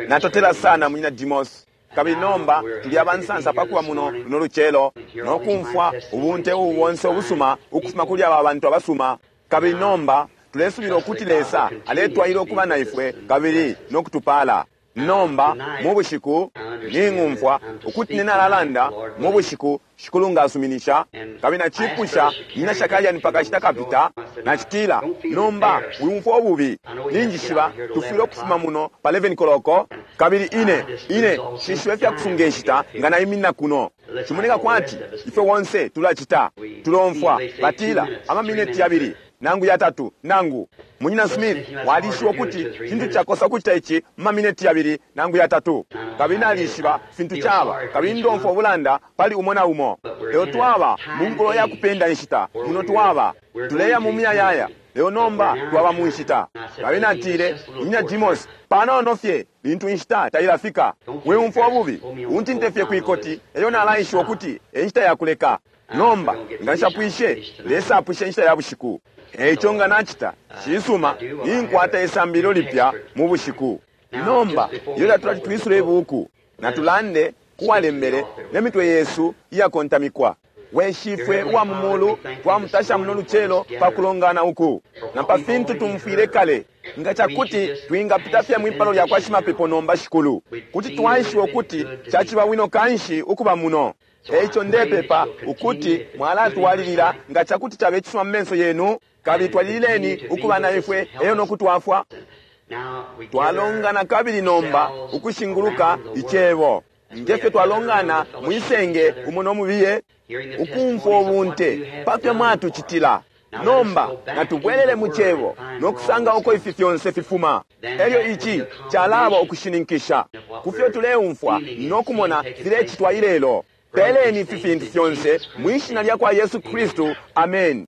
Natotela sana Munyina Demos. Kabili nomba tuli abansansa pa kuba muno luno lucelo no kumfwa ubunte ubu bonse ubusuma ukufuma kuli aba bantu abasuma. Kabili nomba tulesubila ukuti Lesa aletwalila ukuba na ifwe kabili no kutupaala. Nomba mu bushiku ning'umfwa ukuti ine nalalanda mu bushiku Shikulu nga asuminisha. Kabili nacipusha Munyina Shakarian pa kashita kapita, nacitila, Nomba wiumfwa ububi. Ninjishiba tufwile ukufuma muno pa 11 koloko. Kabili ine, ine nshishibe ifya kusunga inshita nga naiminina kuno. Cimoneka kwati ifwe bonse tulacita. Tulomfwa batila, Amamineti yabili, nangu yatatu, nangu. Munyina Smith, walishiba ukuti cintu cakosa ukucita ici mu mamineti yabili nangu yatatu. Kabili nalishiba fintu caba, kabili ndomfwa ubulanda pali umo na umo. Lelo twaba mu nkulo ya kupenda inshita, muno twaba. Tuleya mu muyayaya, lelo nomba twaba mu nshita. Kabili natile, Munyina Demos, panono fye lintu inshita tailafika. Wiumfwa ububi, untinte fye kwi koti, elyo nalaishiba ukuti e nshita ya kuleka. Nomba, nga nshapwishe, Lesa apwishe inshita ya bushiku. E ico nga nacita, cisuma, ninkwata isambililo lipya mu bushiku. Nomba, ilyo tatulati twisule ibuuku, natulande ku walembele ne mitwe yesu iyakontamikwa. We Shifwe uwa mu Mulu, twamutasha muno lucelo pa kulongana uku, na pa fintu tumfwile kale. Nga cakuti twingapita fye mwi palo lyakwa shimapepo nomba, Shikulu, kuti twaishiba ukuti caciba bwino kanshi ukuba muno. E ico ndepepa ukuti mwalatwalilila nga ca kuti cabe cisuma mu menso yenu, kabili twalilileni ukuba na ifwe elyo no kutwafwa. Twalongana kabili nomba ukushinguluka Icebo, nge fyo twalongana mwi senge umo no mubiye, ukumfwa ubunte pa fyo mwatucitila. Nomba natubwelele mu Cebo no kusanga uko ifi fyonse fifuma. Elyo ici calaba ukushininkisha ku fyo tuleumfwa no kumona filecitwa ilelo. Peleni ifi fintu fyonse mwi Shina lyakwa Yesu Kristu. Ameni.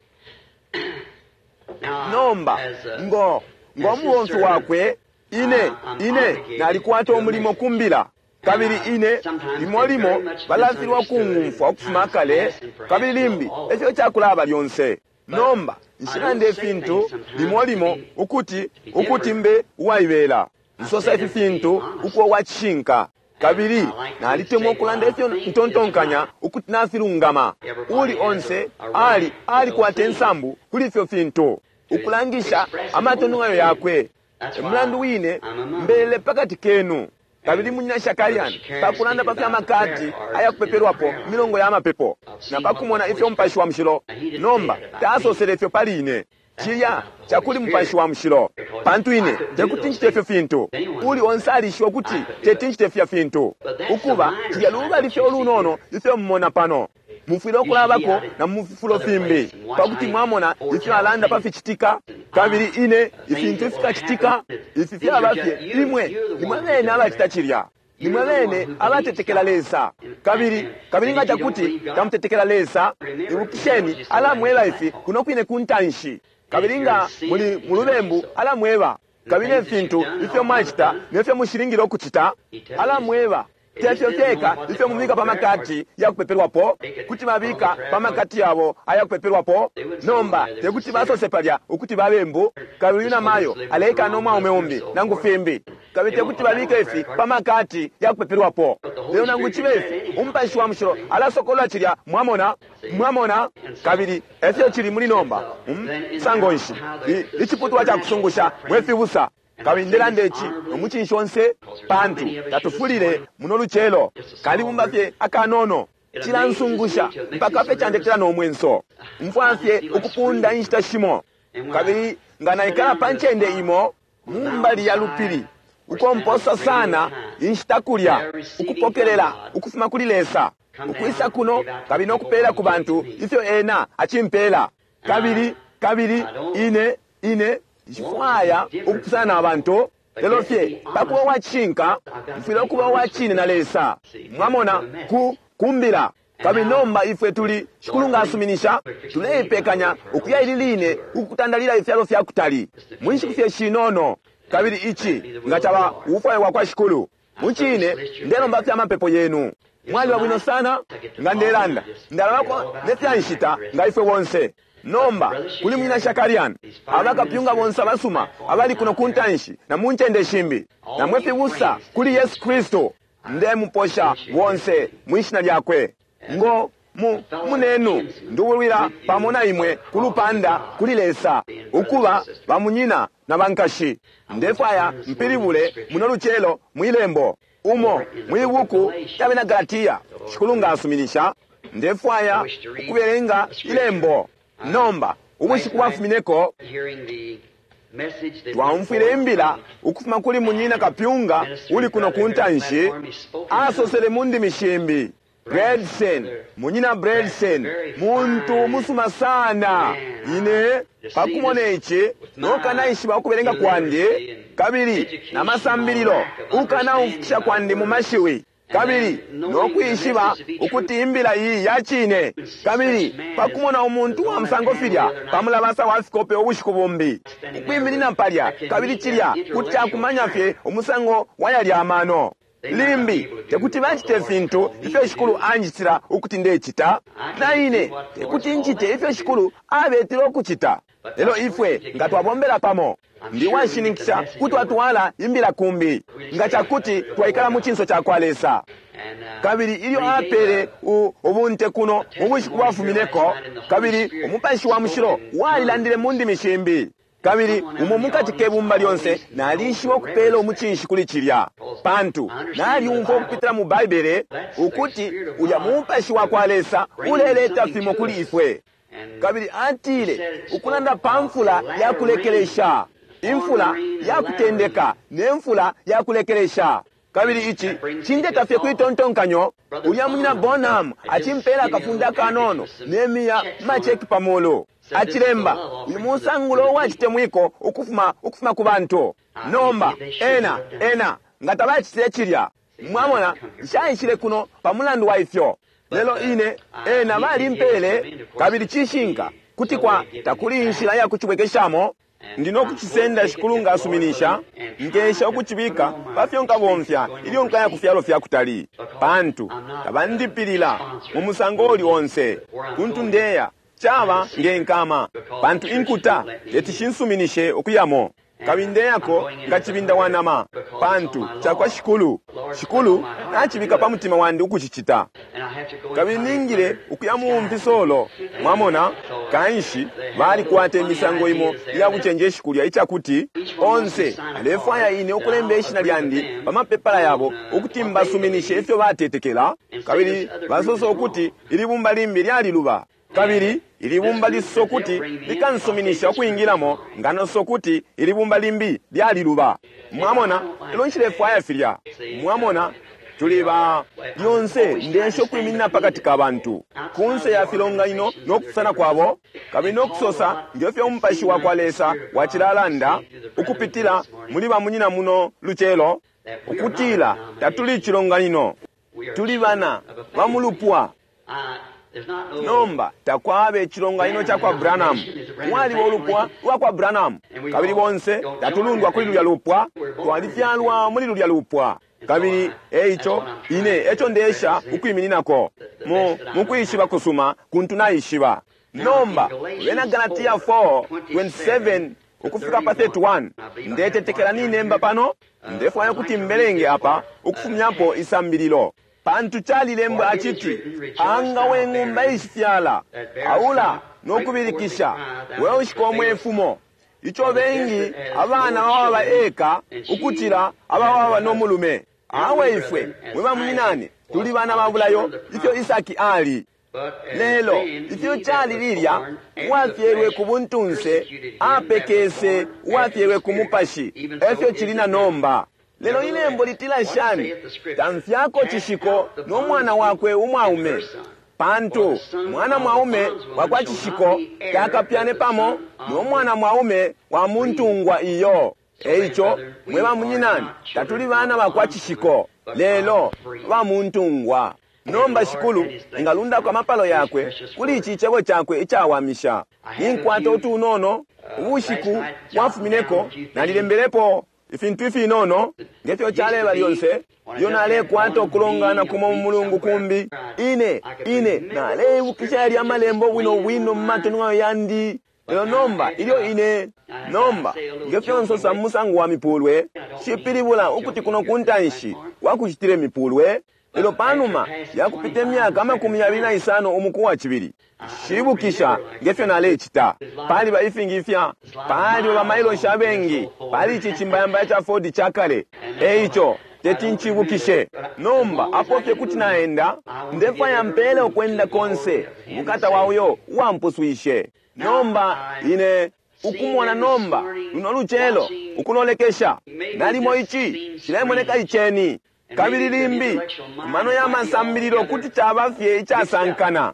Nomba, ngo, ngo mubomfi Wakwe, ine, ine nalikwata umulimo ku Mbila. Kabili ine, limo limo balafilwa kung'umfwa ukufuma kale, kabili limbi efyo cakulaba lyonse. Nomba, nshilanda ifintu limo limo ukuti, ukuti mbe uwaibela. Nsosa ifi fintu ukuba uwa cishinka. Kabili nalitemwa ukulanda ifyo ntontonkanya ukuti nafilungama. Uuli onse ali, alikwata insambu kuli ifyo fintu, ukulangisha amatontonkanyo yakwe. E mulandu wine mbelele pa kati kenu. Kabili Munyina Shakarian, pa kulanda pa fya makadi aya kupepelwapo mu milongo ya mapepo, na pa kumona ifyo Mupashi wa Mushilo, nomba, tasosele ifyo pali ine. Cilya cakuli Mupashi wa Mushilo, pantu ine tekuti ncite ifyo fintu. Uuli onse alishiba ukuti teti ncite filya fintu. Ukuba, cilya lubali fye ulunono ifyo mumona pano. Mufwile ukulabako na mu fifulo fimbi, pa kuti mwamona ifyo alanda pa ficitika, kabili ine, ifintu ifikacitika. Ifi fyaba fye imwe, nimwe bene abacita cilya. Nimwe bene abatetekela Lesa. Kabili, kabili nga cakuti tamutetekela Lesa, ibukisheni, Alamweba ifi kuno kwine ku ntanshi. Kabili nga muli mulubembu, Alamweba. Kabili ne fintu ifyo mwacita ne fyo mushilingile ukucita, Alamweba. Te fyo fyeka ifyo mubika pa makadi ya kupepelwapo, kuti babika pa makadi yabo aya kupepelwapo. Nomba, te kuti basose palya ukuti babembu, kabili uyu namayo aleikala no mwaume umbi, nangu fimbi. Kabili te kuti babike ifi pa makadi ya kupepelwapo. Lelo nangu cibe ifi, Umupashi wa Mushilo alasokolola cilya, mwamona. Mwamona? Kabili efyo cili muli nomba. Mu musango nshi? I, iciputulwa ca kusungusha, mwe fibusa. Kabili ndelanda ici no mucinshi onse, pantu tatufulile muno lucelo, kalibumba fye akanono. Cilansungusha mpaka fye candetela no mwenso. Mfwa fye ukupunda inshita shimo. Kabili nga naikala pa ncende imo, mu mbali ya lupili, uko mposa sana inshita kulya, ukupokelela ukufuma kuli Lesa, ukwisa kuno kabili no kupela ku bantu ifyo Ena acimpela. Kabili, kabili ine, ine nshifwaya ukupusana na bantu, lelo fye pa kuba uwa cishinka, mfwile ukuba uwa cine na Lesa, mwamona, ku, ku Mbila. Kabili nomba ifwe tuli, Shikulu nga asuminisha, tuleipekanya ukuya ili line ukutandalila ifyalo fya kutali, mu nshiku fye shinono. Kabili ici nga caba ubufwayo bwakwa Shikulu. Mucine, ndelomba fye amapepo yenu. Mwaliba bwino sana. Nga ndelanda, ndalabako ne fya nshita nga ifwe bonse. Nomba kuli Munyina Shakarian, abakapyunga bonse abasuma abali kuno ku ntanshi na mu ncende shimbi, na mwe fibusa kuli Yesu Kristu, ndemuposha bonse mwi shina lyakwe. Ngo mu munenu ndubulwila pamo na imwe ku lupanda kuli Lesa, ukuba bamunyina na bankashi. Ndefwaya mpilibule muno lucelo mwi lembo umo mwi buku lya bena Galatia, Shikulu nga asuminisha. Ndefwaya ukubelenga ilembo. Nomba ubushiku bwafumineko twaumfwile imbila ukufuma kuli munyina kapyunga uli kuno ku ntanshi, asosele mu ndimi shimbi. Bredson, munyina Bredson, muntu musuma sana. Ine pakumona ici nokanaishiba ukubelenga kwandi kabili na masambililo ukanaumfukisha kwandi mu mashiwi, kabili nokwishiba ukuti imbila iyi ya cine, kabili pakumona umuntu wa musango filya pamulabasa wa fikope ubushiku bumbi ukwiminina palya, kabili cilya kuti akumanya fye umusango wa yalya amano. Limbi tekuti bacite fintu ifyo Shikulu anjitila ukuti ndecita, na ine tekuti ncite ifyo Shikulu abetile ukucita. Lelo ifwe nga twabombela pamo, ndi washininkisha kuti twatwala imbila kumbi, nga cakuti twaikala mu cinso ca kwa Lesa. Kabili ilyo apele ubunte kuno mu bushiku bwafumineko, kabili Umupashi wa Mushilo walilandile mu ndimi shimbi, kabili umo mukati ke bumba lyonse nalishiba ukupela umucinshi kuli cilya, pantu nalyumfwa ukupitila mu Baibele ukuti ulya Mupashi wa kwa Lesa uleleta fimo kuli ifwe. Kabili atile ukulanda pa mfula ya kulekelesha, imfula ya kutendeka ne mfula ya kulekelesha. Kabili ici cindeta fye kwitontonkanyo, ulya munyina Bonham acimpela akafunda kanono ne miya macheki pamulu, acilemba uyu musangulo uwacitemwiko ukufuma ukufuma ku bantu. Nomba ena ena nga tabacitile cilya, mwamona, nshaishile kuno pa mulandu wa ifyo. Lelo ine ena balimpele, kabili cishinka kuti kwa takuli inshila ya kucibwekeshamo. Ndi no kucisenda Shikulu nga asuminisha, nkesha ukucibika pa fyo nkabomfya ilyo nkaya ku fyalo fya kutali, pantu tabandipilila mu musango uli onse kuntu ndeya. Caba nge nkama, pantu inkuta teti shinsuminishe ukuyamo. Kabili ndeyako nga cibinda wa nama, pantu cakwa Shikulu. Shikulu nacibika pa mutima wandi ukucicita, kabili ningile ukuya mu mpisolo. Mwamona, kanshi balikwata imisango imo iya bucenjeshi kulya, icakuti onse alefwaya ine ukulemba ishina lyandi pa mapepala yabo ukuti mbasuminishe ifyo batetekela, kabili basosa ukuti ili bumba limbi lyaliluba, kabili ili bumba lisosa ukuti likansuminisha ukwingilamo, nganosa ukuti ili bumba limbi lyaliluba. Mwamona, elo nshilefwaya filya. Mwamona, tuli ba lyonse ndesha ukwiminina pakati ka bantu kunse ya filonganino no kupusana kwabo, kabili no kusosa nge fyo Umupashi wa kwa Lesa wacilalanda ukupitila muli bamunyina muno lucelo, ukutila tatuli icilonganino, tuli bana ba mulupwa. Nomba takwaba icilonganino ca kwa Branham, mwaliba ulupwa lwa kwa Branham, kabili bonse tatulundwa kuli lulya lupwa, twalifyalwa muli lulya lupwa. Kabili eico ine eco ndesha ukwimininako mu mukwishiba kusuma kuntu naishiba. Nomba bena Galatia 4:27 ukufika pa 31, ndetetekela ninemba pano, ndefwaya ukuti mbelenge apa ukufumyapo isambililo. Pantu calilembwa aciti, anga we ng'umba ishifyala, aula nokubilikisha, we ushika mwefumo. Ico bengi abana baba eka ukucila ababa no mulume. Awe ifwe mwe bamunyinane tuli bana ba bulayo, ifyo Isaki ali. Lelo ifyo cali lilya, uwafyelwe ku buntunse apekese uwafyelwe ku mupashi, efyo cili na nomba. Lelo ilembo litila shani? Tamfyako cishiko no mwana wakwe umwaume, pantu mwana mwaume wakwa cishiko takapyane pamo no mwana mwaume wa muntungwa iyo. Eico mwe bamunyinane tatuli bana bakwa cishiko, lelo ba muntungwa. Nomba Shikulu engalundako amapalo yakwe kuli ici cebo cakwe icawamisha. Ninkwata utunono ubushiku bwafumineko nalilembelepo Ifintu ifinono nge fyo caleba lyonse, ilyo nalekwata ukulongana kumo mu mulungu kumbi, ine, ine naleibukisha yalya Amalembo bwino bwino mu matonwayo yandi. Lelo nomba ilyo ine, nomba, nge fyo nsosa mu musango wa mipulwe, cipilibula ukuti kuno ku ntanshi wakucitile mipulwe, lelo panuma yakupita imyaka 25 umuku wa cibili, nshibukisha nge fyo nalecita. Paliba ifingi ifya, paliba bamailoshi abengi pali ici cimbayambaya ca Ford ca kale, e ico teti ncibukishe. Nomba apo fye kuti naenda, ndefwaya mpele ukwenda konse ubukata wa uyo uwampuswishe. Nomba ine ukumona nomba luno lucelo ukulolekesha, nalimo ici cilemoneka iceni, kabili limbi mano ya masambililo kuti caba fye icasankana,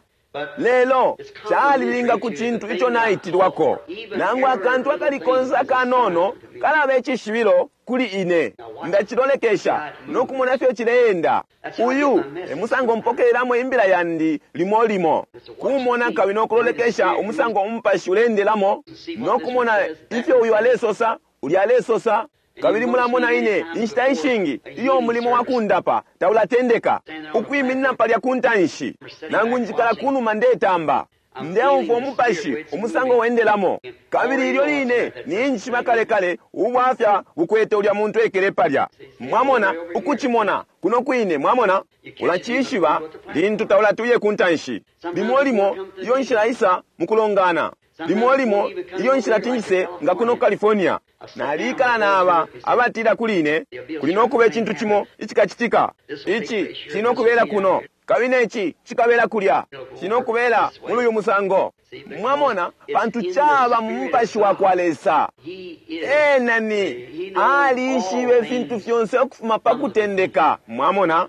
lelo calilinga ku cintu ico naitilwako. Nangu akantu akali konse akanono kalaba icishibilo kuli ine, ndacilolekesha no kumona ifyo cileenda. Uyu e musango mpokelelamo imbila yandi limo limo, kumona kabili no kulolekesha umusango umupashi uleendelamo, no kumona ifyo uyu alesosa, ulya alesosa. Kabili mulamona ine inshita ishingi iyo umulimo wa kundapa taulatendeka, ukwiminina palya ku ntanshi, nangu njikala kunuma ndetamba, ndeumfwa umupashi umusango wendelamo. Kabili ilyo line ninjishiba kale kale ubwafya bukwete ulya muntu ekele palya. Mwamona, ukucimona kuno kwine, mwamona, ulacishiba lintu taulatuye ku ntanshi. Limo limo iyo nshila isa mukulongana, limo limo iyo nshila tinjise nga kuno California. Nalikala naba abatila kuli ine, kuli nokuba icintu cimo icikacitika, ici cili nokubela kuno, kabili neci cikabela kulya, cili nokubela muli uyu musango. Mwamona, pantu caba mu mupashi wa kwa Lesa. Ena ni alishibe ifintu fyonse ukufuma pa kutendeka, mwamona,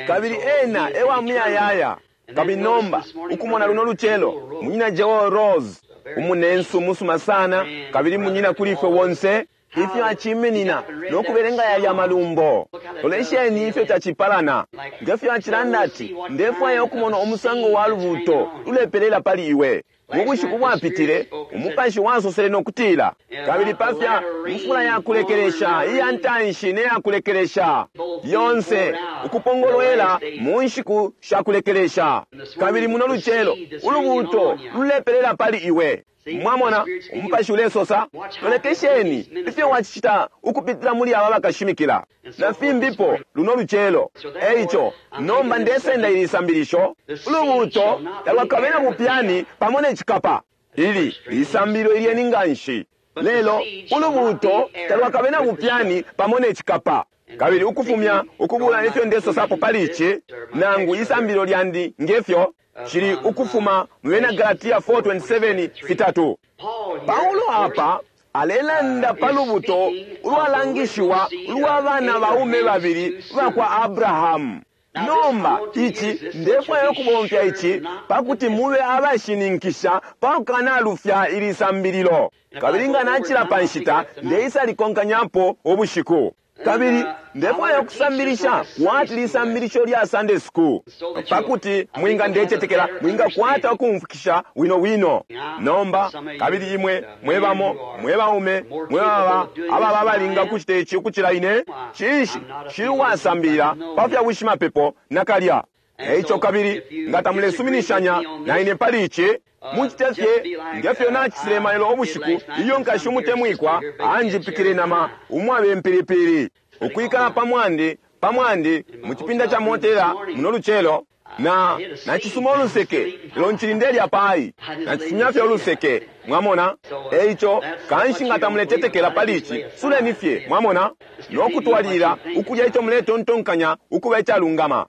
kabili ena e wa muyayaya. Kabili nomba ukumona luno lucelo munyina Joel Rose, umunensu umusuma sana, kabili munyina kuli ifwe bonse, ifyo aciminina no kubelenga yalya malumbo. Lolesheni ifyo tacipalana. Nge fyo acilanda ati, ndefwaya ukumona umusango wa lubuuto lulepelela pali iwe. Mu bushiku bwapitile, umupashi wasosele no kutila, kabili pafya mfula ya kulekelesha iya ntanshi ne ya kulekelesha yonse ukupongolwela mu nshiku sha kulekelesha. Kabili muno lucelo ulubuuto lulepelela pali iwe. Mwamona, umupashi ulesosa, lolekesheni ifyo wacicita ukupitila muli aba bakashimikila na fimbipo luno lucelo. Eico nomba ndesenda ili sambilisho, ulubuuto talwakabe na bupyani pamo ne cikapa. Ili lisambililo ilyeni nganshi, lelo ulubuuto talwakabe na bupyani pamo ne cikapa. Kabili ukufumya ukubula ifyo ndesosapo pali ici, nangu isambililo lyandi ngefyo cili ukufuma mu bena Galatia 4:27 fitatu. Paulo apa alelanda pa lubuto ulwalangishiwa ulwa bana baume babili bakwa Abrahamu. Nomba ici ndefwaya ukubomfya ici pakuti mube abashininkisha pakukanalufya ili sambililo. Kabili nga nacila pa nshita ndeisa likonkanyapo ubushiku. Kabili ndefwaya ukusambilisha kwati lisambilisho lya Sunday school, pakuti mwinga ndecetekela mwingakwata ukumfukisha wino wino. Nomba kabili imwe mwebamo mwebaume mwebaba ababa abalinga kucita ici ukucila ine, cinshi shili uwasambilila pa fya bushimapepo nakalya. Eico kabili nga tamulesuminishanya na ine pali ici, mucite fye ngefyo nacisile mailo ubushiku iyo nkashi umutemwikwa anjipikile nama umwabe mpilipili. Ukwikala pamwandi pamwandi mu cipinda ca motela muno lucelo, na nacisuma uluseke, lelo ncili ndelya pai, nacisumya fye uluseke, mwamona. Eico kanshi nga tamuletetekela pali ici, suleni fye, mwamona, no kutwalilila ukulya ico muletontonkanya ukuba icalungama.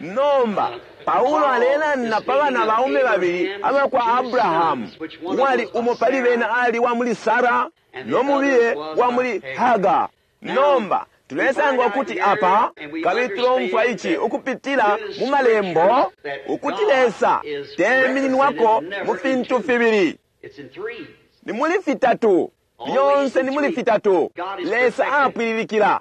Nomba Paulo alelanda pa bana baume babili abakwa Abrahamu, uwali umo pali bena ali wa muli Sara no mubiye wa muli Hagar. Nomba tulesanga ukuti apa, kabili tulomfwa ici ukupitila mu malembo, ukuti Lesa temininwako mu fintu fibili, ni muli fitatu, lyonse ni muli fitatu. Lesa apwililikila.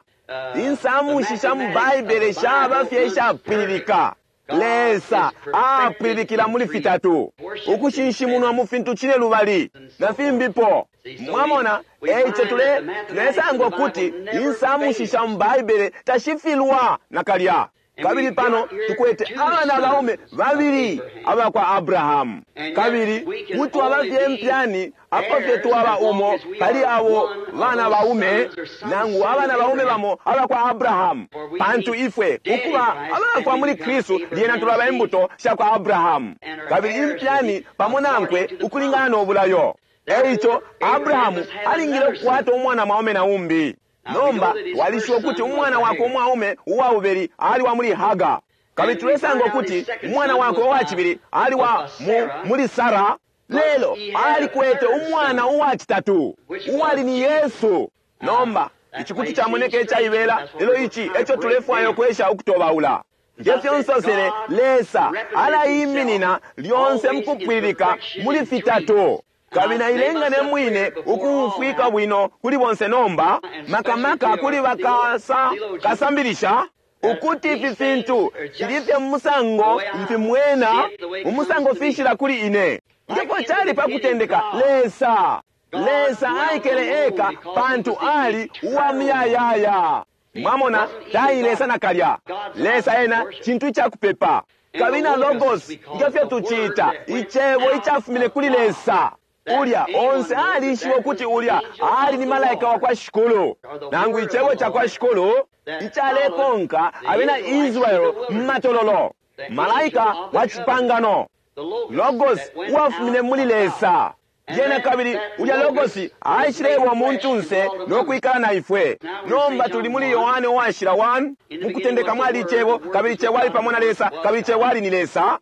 Insamushi sha mu Baibele shaba fye ishapwililika. Lesa apwililikila muli fitatu, ukushinshimunwa mu fintu cine lubali na fimbipo. Mwamona, eico tule tulesanga ukuti insamushi sha mu Baibele tashifilwa nakalya. Kabili pano tukwete abana baume babili abakwa Abrahamu, kabili kuti twaba fye mpyani apo fye twaba umo pali abo bana baume nangu abana baume bamo abakwa Abrahamu, pantu ifwe ukuba abafwa muli Kristu lyena tulaba imbuto shakwa Abrahamu, kabili impyani pamo nankwe ukulingana no bulayo. Eico Abrahamu alingile ukukwata umwana mwaume na umbi. Nomba twalishiba ukuti umwana wakwe umwaume uwa bubeli ali wa muli Haga, kabili tulesanga ukuti umwana wakwe uwa cibili ali wa mu, muli Sara. Lelo alikwete umwana uwa citatu uwali ni Yesu. Nomba ici kuti camoneka icaibela, lelo ici eco tulefwaya ukwesha ukutobaula. Nge fyo nsosele, Lesa alaiminina lyonse mukupwililika muli fitatu. Kabili nailenga ne mwine ukumfwika bwino kuli bonse nomba, makamaka kuli bakasa kasambilisha, ukuti ifi fintu fili fye mumusango mfimwena, umusango fishila kuli ine. Ngefyo cali pa kutendeka, Lesa Lesa aikele eka pantu ali uwa muyayaya. Mwamona, tailesa nakalya. Lesa ena cintu icakupepa. Kabili na Logos, ngefyo tuciita, icebo icafumine kuli Lesa. Ulya onse alishiba ukuti ulya ali ni malaika wa kwa Shikulu, nangu icebo ca kwa Shikulu icalekonka abena Israele mu matololo, malaika wa cipangano, Logos uwafumine muli Lesa. Lyena kabili ulya Logos aishileba umuntunse no kwikala na ifwe. Nomba tuli muli Yohane uwashila 1, mukutendeka mwali icebo, kabili icebo ali pamo na Lesa, kabili icebo ali ni Lesa.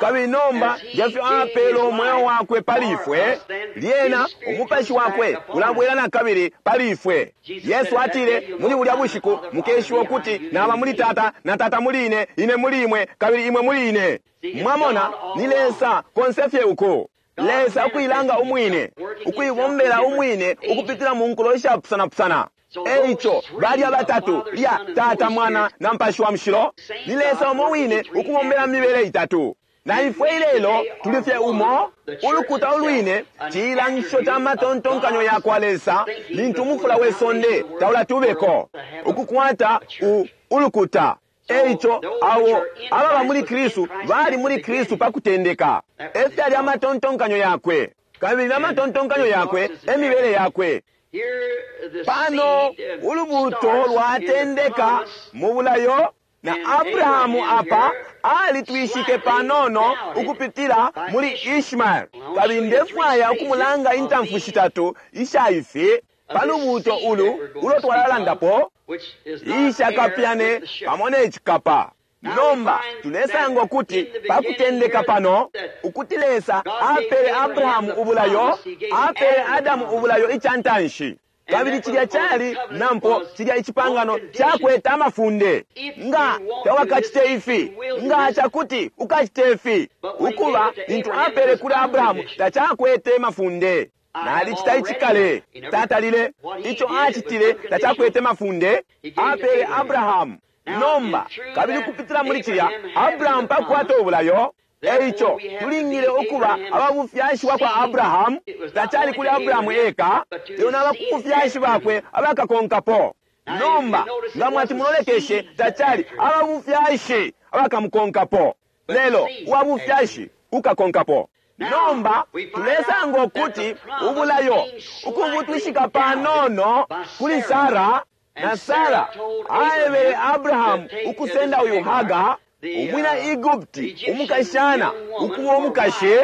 Kabili nomba ngefyo apele umweo wakwe pali ifwe, lyena umupashi wakwe ulabwela na kabili pali ifwe. Yesu atile muli bulya bushiku mukeshiwa ukuti naba muli Tata, na Tata muli ine, ine muli imwe, kabili imwe muli ine. Mwamona, ni Lesa konse fye uko. Lesa ukuilanga umwine, ukuibombela umwine ukupitila mu nkulo ishapusanapusana. Eico balya batatu lya Tata, Mwana na Mupashi wa Mushilo ni Lesa umo wine ukubombela mu mibele itatu. Na ifwe ilelo tuli fye umo, ulukuta ulwine cilangisho ca matontonkanyo ya kwa Lesa lintu umufula we sonde taulatubeko ukukwata ulukuta. Eico abo ababa muli Kristu bali muli Kristu pa kutendeka. Efyali amatontonkanyo yakwe, kabili na matontonkanyo yakwe emibele yakwe. Pano ulubuto lwatendeka mu bulayo, na Abrahamu apa alitwishike panono ukupitila muli Ishmael. Kabili ndefwaya ukumulanga intamfu shitatu isha ifi pa lubuto ulu ulo twalalandapo, ishakapyane pamo ne cikapa. Nomba tulesanga ukuti pa kutendeka pano ukuti Lesa apele Abrahamu ubulayo, apele Adamu ubulayo ica ntanshi. Kabili cilya cali nampo cilya icipangano cakwete amafunde. Nga tawakacite ifi, nga cakuti ukacite ifi, ukuba lintu apele kuli Abrahamu tacakwete mafunde. Nalicita icikale, tatalile ico acitile tacakwete mafunde, apele Abrahamu. Nomba kabili kupitila muli cilya Abrahamu pakukwata ubulayo. Eico tulingile ukuba ababufyashi bwakwa Abrahamu. Tacali kuli Abrahamu eka, lelo na bakubufyashi bakwe abakakonkapo. Nomba nga mwati mulolekeshe, tacali ababufyashi abakamukonkapo, lelo uwabufyashi ukakonkapo. Nomba tulesanga ukuti ubulayo ukubutwishika panono kuli Sara, na Sara aebele Abrahamu ukusenda uyu Haga umwina Egupti umukashana ukuba umukashi,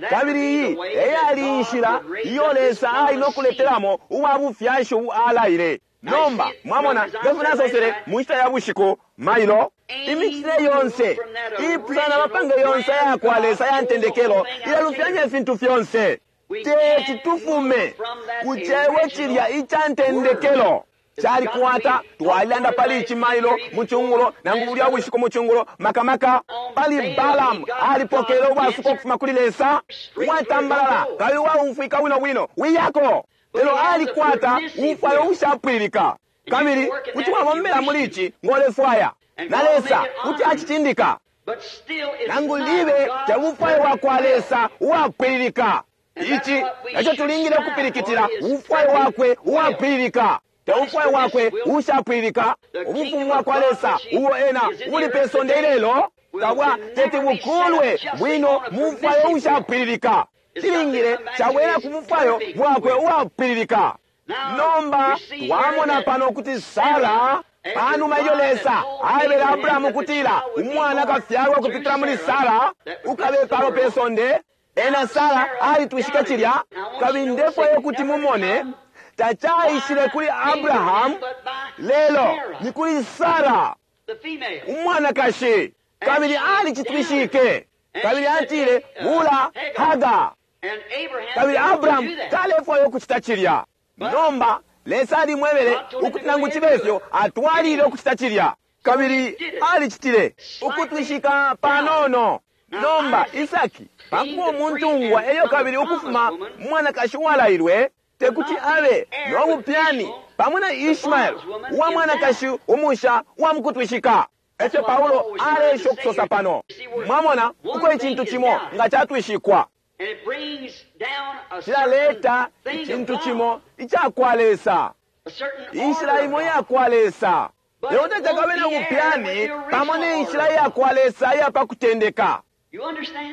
kabili iyi eyali inshila iyo Lesa ali no kuletelamo uwa bufyashi ubu alaile. Nomba mwamona ngefyo nasosele mu nshita ya bushiku mailo, imicitile yonse ipusana mapange yonse aya kwa Lesa ya ntendekelo ilalufyanya ifintu fyonse. Teti tufume ku cebo cilya ica ntendekelo. Calikwata, twalilanda pali ici mailo mu cungulo, nangu bulya bushiku mu cungulo, makamaka pali Balamu alipokele ubwasuko ukufuma kuli Lesa uwatambalala kabili uwaumfwika bwino bwino wiyako, lelo alikwata ubufwayo ubushapwilika. Kabili kuti wabombela muli ici ngolefwaya, na Lesa kuti acicindika, nangu libe tebufwayo bwa kwa Lesa uwapwililika. Ici eco tulingile ukupilikitila, ubufwayo bwakwe uwapwililika, te ubufwayo bwakwe ubushapwililika. Ubufumu bwakwa Lesa ubo ena ubuli pe sonde ilelo tabwa teti bukulwe bwino mu bufwayo ubushapwililika. Cilingile cabwela ku bufwayo bwakwe uwapwililika. Nomba twamona pano ukuti Sara, panuma ilyo Lesa aebele Abrahamu ukutila umwana akafyalwa ukupitila muli Sara, ukabe palo pe sonde, ena Sara alitwishike cilya. Kabili ndefwaya ukuti mumone, tacaishile kuli Abrahamu, lelo ni kuli Sara umwanakashi. Kabili alicitwishike, kabili atile, Bula Haga. Kabili Abrahamu talefwaya ukucita cilya. Nomba Lesa alimwebele ukuti nangu cibe fyo atwalile ukucita cilya, kabili alicitile, ukutwishika panono. Nomba Isaki, pakuba umuntungwa elyo kabili ukufuma mwanakashi uwalailwe, tekuti abe no bupyani pamo na Ishmael uwa mwanakashi umusha uwa mukutwishika. Efyo Paulo aleesha ukusosa pano. Mwamona uko icintu cimo nga catwishikwa cilaleta icintu cimo icakwa Lesa, inshila imo iyakwa Lesa. Lelo tacakabe na bupyani pamo ne nshila iyakwa Lesa iya pa kutendeka.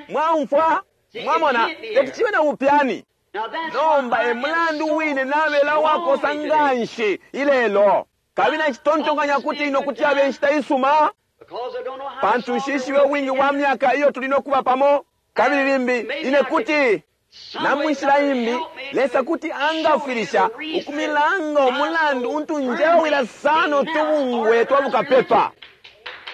Mwaumfwa? Mwamona, teti cibe na bupyani. Nomba e mulandu wine nabela uwakosa nganshi ilelo, kabili nacitontonkanya kuti ino kuti yabe inshita isuma, pantu nshishibe ubwingi bwa myaka iyo tuli no kuba pamo. Kabili limbi ine kuti na munshila imbi Lesa kuti angafwilisha ukumilanga umulandu untu njewila sana utubungwe twa bukapepa.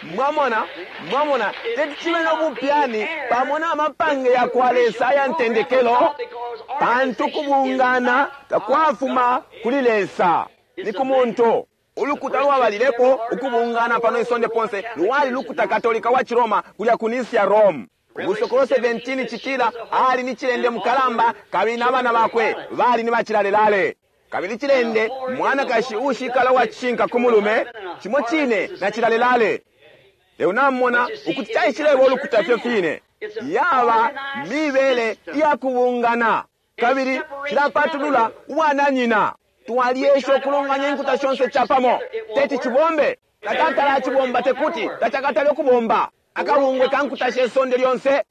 Mwamona, mwamona, teti cibe no bupyani pamo na mapange yakwa Lesa aya ntendekelo, pantu kubungana takwafuma kuli Lesa, ni ku muntu. Ulukuta lwabalilepo ukubungana pano isonde ponse lwali lukuta Katolika wa Ciroma kulya ku Nicea, Rome. Ubusokolo 17 citila ali ni cilende mukalamba, kabili n'abana bakwe bali ni bacilalelale. Kabili cilende mwanakashi ushikala wa cishinka ku mulume, cimo cine na cilalelale. Lelo namona ukuti caishileba ulukuta fyo fine, yaba mibele iya kubungana, kabili cilapatulula ubwananyina. Twaliesha ukulonganya inkuta shonse capamo, teti cibombe. Tacatala acibomba, tekuti tacakatale ukubomba. Akabungwe ka nkuta she sonde lyonse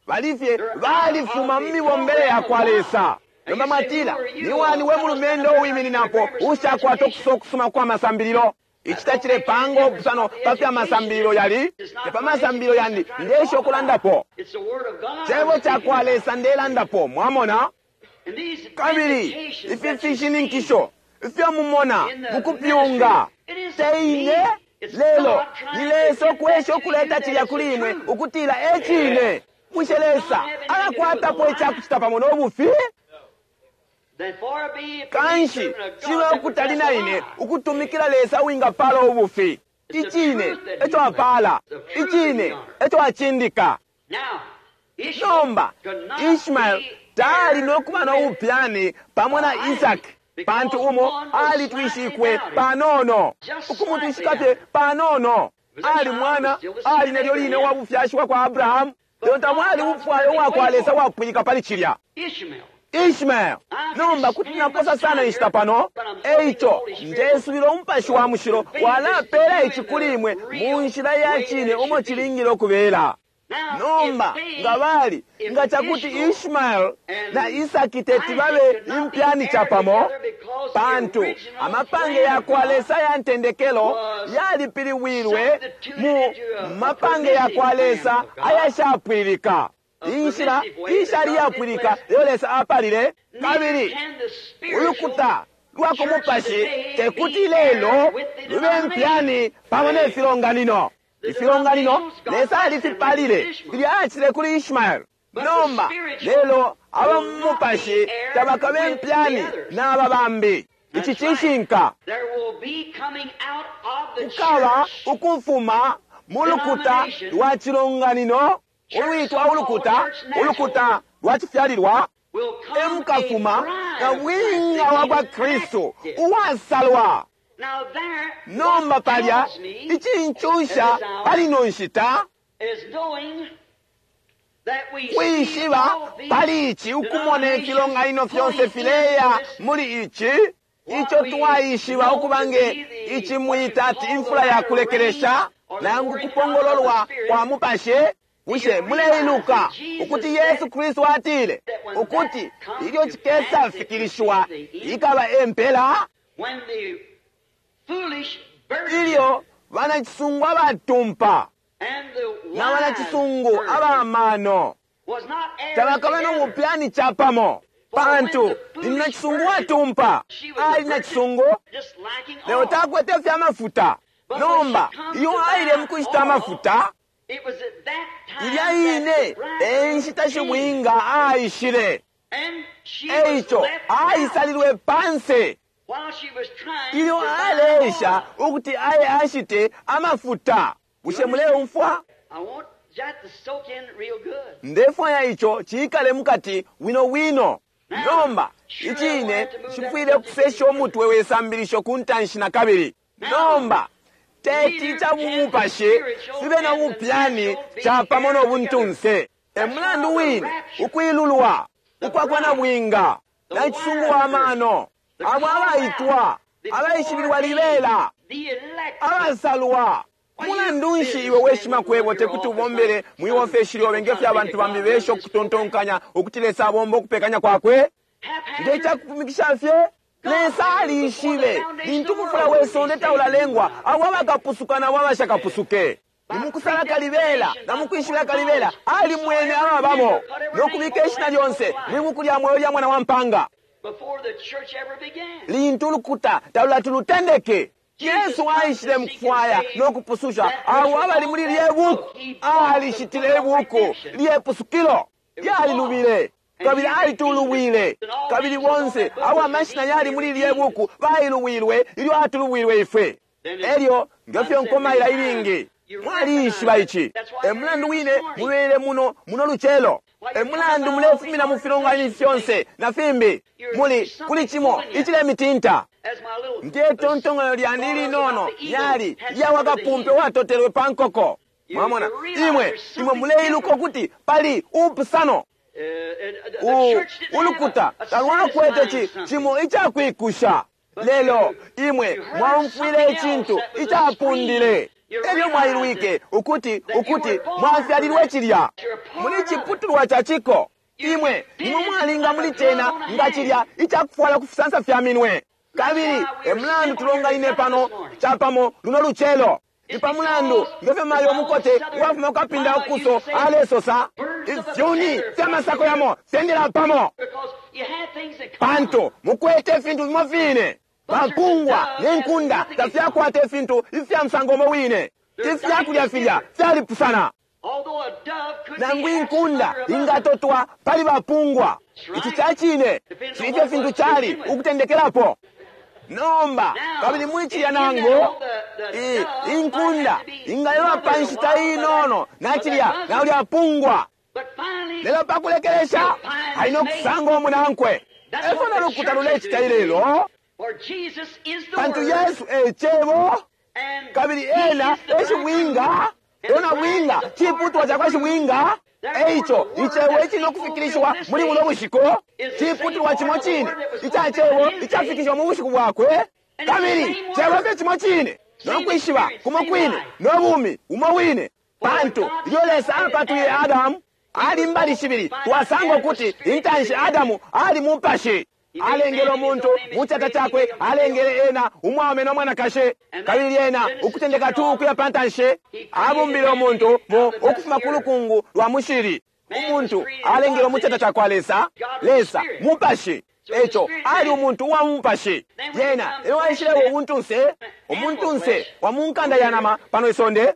balifye balifuma mu mibombele yakwa Lesa. Nomba mwatila, ni wani we mulumendo uwimininapo ushakwata ukusosa ukusuma kwa masambililo? Ici tacilepanga ubupusano pa fya masambililo yali, te pa masambililo yandi ndesha ukulandapo. Cebo cakwa Lesa ndelandapo, mwamona? Kabili ifi fishininkisho ifyo mumona mukupyunga te ine, lelo ni Lesa ukwesha ukuleta cilya kuli imwe ukutila e cine. Bushe Lesa alakwatapo icakucita pamo no bufi? Kanshi cibe ukutali na ine ukutumikila Lesa uwingapala ubufi. Icine eco apala, icine eco acindika. Nomba Ishmael tali no kuba no bupyani pamo na Isaki, pantu umo alitwishikwe panono, ukumutwishika fye panono. Ali mwana, ali nelyo line uwa bufyashi bwa kwa Abrahamu, lelo tamwali ubufwayo ubwakwa Lesa bwapwilika pali cilya. Ishmael. Nomba kuti naposa sana inshita pano, eico ndesubila Umupashi wa Mushilo walapela ici kuli imwe mu nshila ya cine umo cilingile ukubela. Nomba nga bali, nga cakuti Ishmael na Isaki teti babe impyani capamo, pantu amapange yakwa Lesa ya ntendekelo yalipiliwilwe mu mapange yakwa Lesa ayashapwililika. Inshila ishali yapwilika iyo Lesa apalile, kabili ulukuta lwa ku mupashi tekuti lelo lube mpyani pamo ne filonganino. Ifilonganino Lesa alifipalile filya acitile kuli Ishmael. Nomba lelo aba mu mupashi tabakabe mpyani n'aba bambi. Ici cishinka. Kukaba ukufuma mu lukuta lwa cilonganino ulwitwa ulukuta, ulukuta lwa cifyalilwa, emukafuma na bwinga wa kwa Kristu uwasalwa. Nomba palya icincusha pali ino nshita Kwishiba pali ici, ukumona ifilonganino fyonse fileya muli ici, ico twaishiba ukuba nge ici mwita ati imfula ya kulekelesha nangu kupongololwa kwa mupashi. Bushe muleiluka ukuti Yesu Kristu atile ukuti ilyo cikesafikilishiwa ikaba empela? Ilyo banacisungu abatumpa na banacisungu abamano tabakabe no bupyani capamo, pantu nacisungu watumpa ali nacisungu lelo takwete fya mafuta. Nomba iyo aile mukushita amafuta, ilya ine enshita shibwinga aishile, eico aisalilwe panse ilyo aleesha ukuti aye ashite amafuta. Bushe muleumfwa? Ndefwaya ico ciikale mukati wino wino. Nomba icine cifwile kusesha umutwe we sambilisho ku ntanshi na kabili. Nomba teti ca bumupashi fibe na bupyani capamo no buntunse. E mulandu wine ukwilulwa ukwakwa na bwinga na icisungu wa mano, abo abaitwa, abaishibilwa libela, abasalwa. Mulandu nshi iwe weshima kwebo tekuti ubombele mwi ofeshi lyobe nge fyo abantu bambi besha ukutontonkanya ukuti Lesa abomba ukupekanya kwakwe? Nge cakupumikisha fye, Lesa aliishibe lintu umufula we sonde taulalengwa abo abakapusuka nabo abashakapusuke. Ni mukusala kalibela na mukwishibila kalibela alimwene ababamo no kubika ishina lyonse mwi buku lya mweo lya mwana wa mpanga lintu ulukuta talulati lutendeke. Yesu aishile mukufwaya no kupususha abo abali muli lye buku. Alishitile ibuku lye pusukilo lyalilubile, kabili alitulubwile, kabili bonse abo amashina yali muli lye buku bailubwilwe ilyo atulubwilwe ifwe. Elyo ngefyo nkomaila ilingi mwaliishiba ici. E mulandu wine mubele muno muno lucelo. E mulandu mulefumina mu filonganino fyonse na fimbi muli kuli cimo icilemitinta. Nge tontonganyo lyandi ilinono lyali lya wakapumpe watotelwe pa nkoko. Mwamona, imwe imwe muleiluka ukuti pali upusano. Ulukuta talwakwete ci cimo icakwikusha, lelo imwe mwaumfwile icintu icapundile. Elyo mwailwike ukuti ukuti mwafyalilwe cilya muli ciputulwa ca ciko. Imwe nimwe mwalinga muli cena nga cilya icakufwala ku fisansa fya minwe. Kabili e mulandu tulonganine pano capamo luno lucelo. Ni pa mulandu ngefyo mayo umukote uwafuma kukapinda ukuso alesosa, ifyuni fya masako yamo fyendela pamo, pantu mukwete ifintu fimo fine. Bapungwa ne nkunda tafyakwata ifintu ifya musango umo wine. Ifyakulya filya fyalipusana. Nangu inkunda ingatotwa pali bapungwa. Ici ca cine cili fye fintu cali ukutendekelapo. Nomba kabili muli cilya nangu inkunda ingalelwa pa nshita inono na cilya na ulya pungwa, lelo pa kulekelesha ali no kusanga umunankwe. Efyo na lukuta lulecita ilelo, pantu Yesu e Cebo, kabili ena e shibwinga. Ena bwinga ciputulwa cakwa shibwinga. Eico icebo icili no kufikilishiwa muli buno bushiku ciputulwa cimo cine ica cebo icafikishiwa mu bushiku bwakwe, kabili cebo fye cimo cine no kwishiba kumo kwine no bumi umo wine. Pantu ilyo Lesa apatwile Adamu ali mbali shibili, twasanga ukuti intanshi Adamu ali mupashi. Alengele umuntu mu cata cakwe, alengele ena umwaume no mwanakashi. Kabili ena ukutendeka tu ukuya pa ntanshi abumbile umuntu mu ukufuma ku lukungu lwa mushili. Umuntu alengele mu cata cakwa Lesa. Lesa mupashi, eco ali umuntu uwa mupashi. Yena elyo aishilewo ubuntunse, umuntunse wa mu nkanda ya nama pano isonde.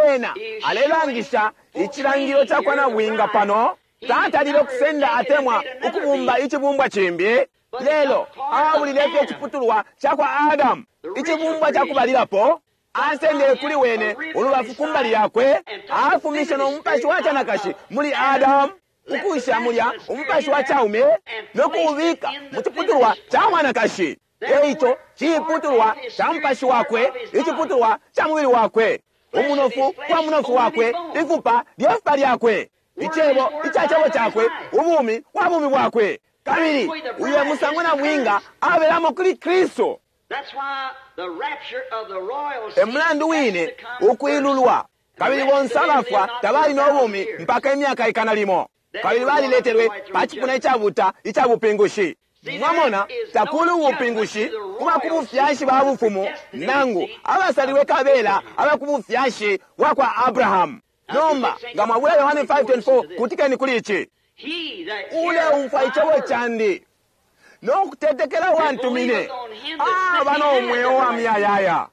Ena alelangisha icilangililo cakwa nabwinga pano. Tatalile ukusenda atemwa ukubumba icibumbwa cimbi, lelo abulile fye iciputulwa cakwa Adamu, icibumbwa cakubalilapo. Asendele kuli wene ulubafu ku mbali yakwe, afumishe no mupashi wa canakashi muli Adamu, ukusha mulya umupashi wa caume no kuubika mu ciputulwa ca mwanakashi. Eico ciputulwa ca mupashi wakwe, iciputulwa ca mubili wakwe, umunofu kwa munofu wakwe, ifupa lye fupa lyakwe. Icebo ica Cebo Cakwe, Ubumi bwa Bumi Bwakwe. Kabili uyo musango na bwinga abelamo kuli Kristu. E mulandu wine ukwilulwa. Kabili bonse abafwa tabali no bumi mpaka imyaka ikana limo. Kabili baliletelwe pa cipuna icabuta ica bupingushi. Mwamona, takuli ubupingushi kuba ku bufyashi ba bufumu nangu abasalilwe kabela aba ku bufyashi bwa kwa Abrahamu. Nomba nga mwabula Yohane 5:24, kutikeni kuli ici. Uleumfwa icebo candi no kutetekela uwantumine aba no mweo wa muyayaya.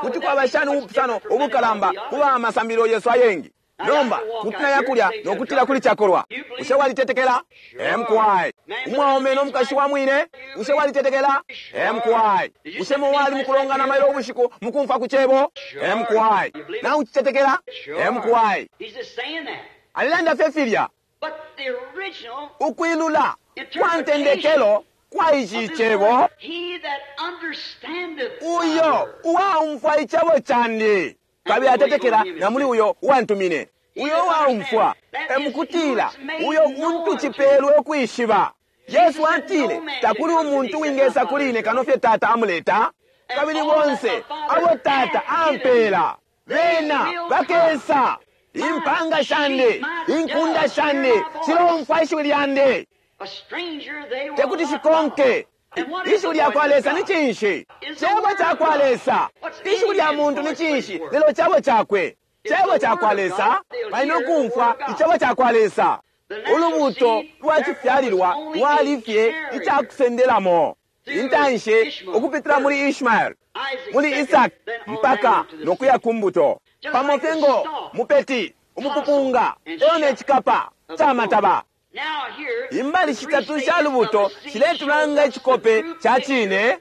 Kuti kwaba shani ubupusano ubukalamba kuba amasambililo yesu ayengi? Nomba kuti naya kulya no kutila kuli cakolwa, bushe walitetekela? Mkwai. Umwaume no mukashi wa mwine, bushe walitetekela? Mkwai. Bushe mwali mukulongana mailo ubushiku mukumfwa ku cebo? Mkwai. Na ucitetekela? Mkwai. Alilanda fye filya. Ukwilula kwa ntendekelo kwa ici cebo, uyo uwaumfwa icebo candi kabili atetekela na muli uyo uwantumine, uyo uwaumfwa, emukutila uyo untu cipelwe ukwishiba. Yesu atile, takuli umuntu wingesa kuli ine kano fye Tata amuleta, kabili bonse abo Tata ampela bena bakesa. Impanga shandi, inkunda shandi shilomfwa ishiwi lyandi, tekuti shikonke. Ishiwi lya kwa Lesa ni cinshi? Cebo ca kwa Lesa. Ishiwi lya muntu ni cinshi? Lelo cebo cakwe. Cebo ca kwa Lesa. Bali no kumfwa icebo ca kwa Lesa. Ulubuto lwa cifyalilwa lwali fye ica kusendelamo. Intanshi ukupitila muli Ishmael, muli Isaki, mpaka no kuya ku mbuto. Pamo fye ngo mupeti, umupupunga, elo ne cikapa ca mataba. Imbali shitatu sha lubuto shiletulanga icikope ca cine.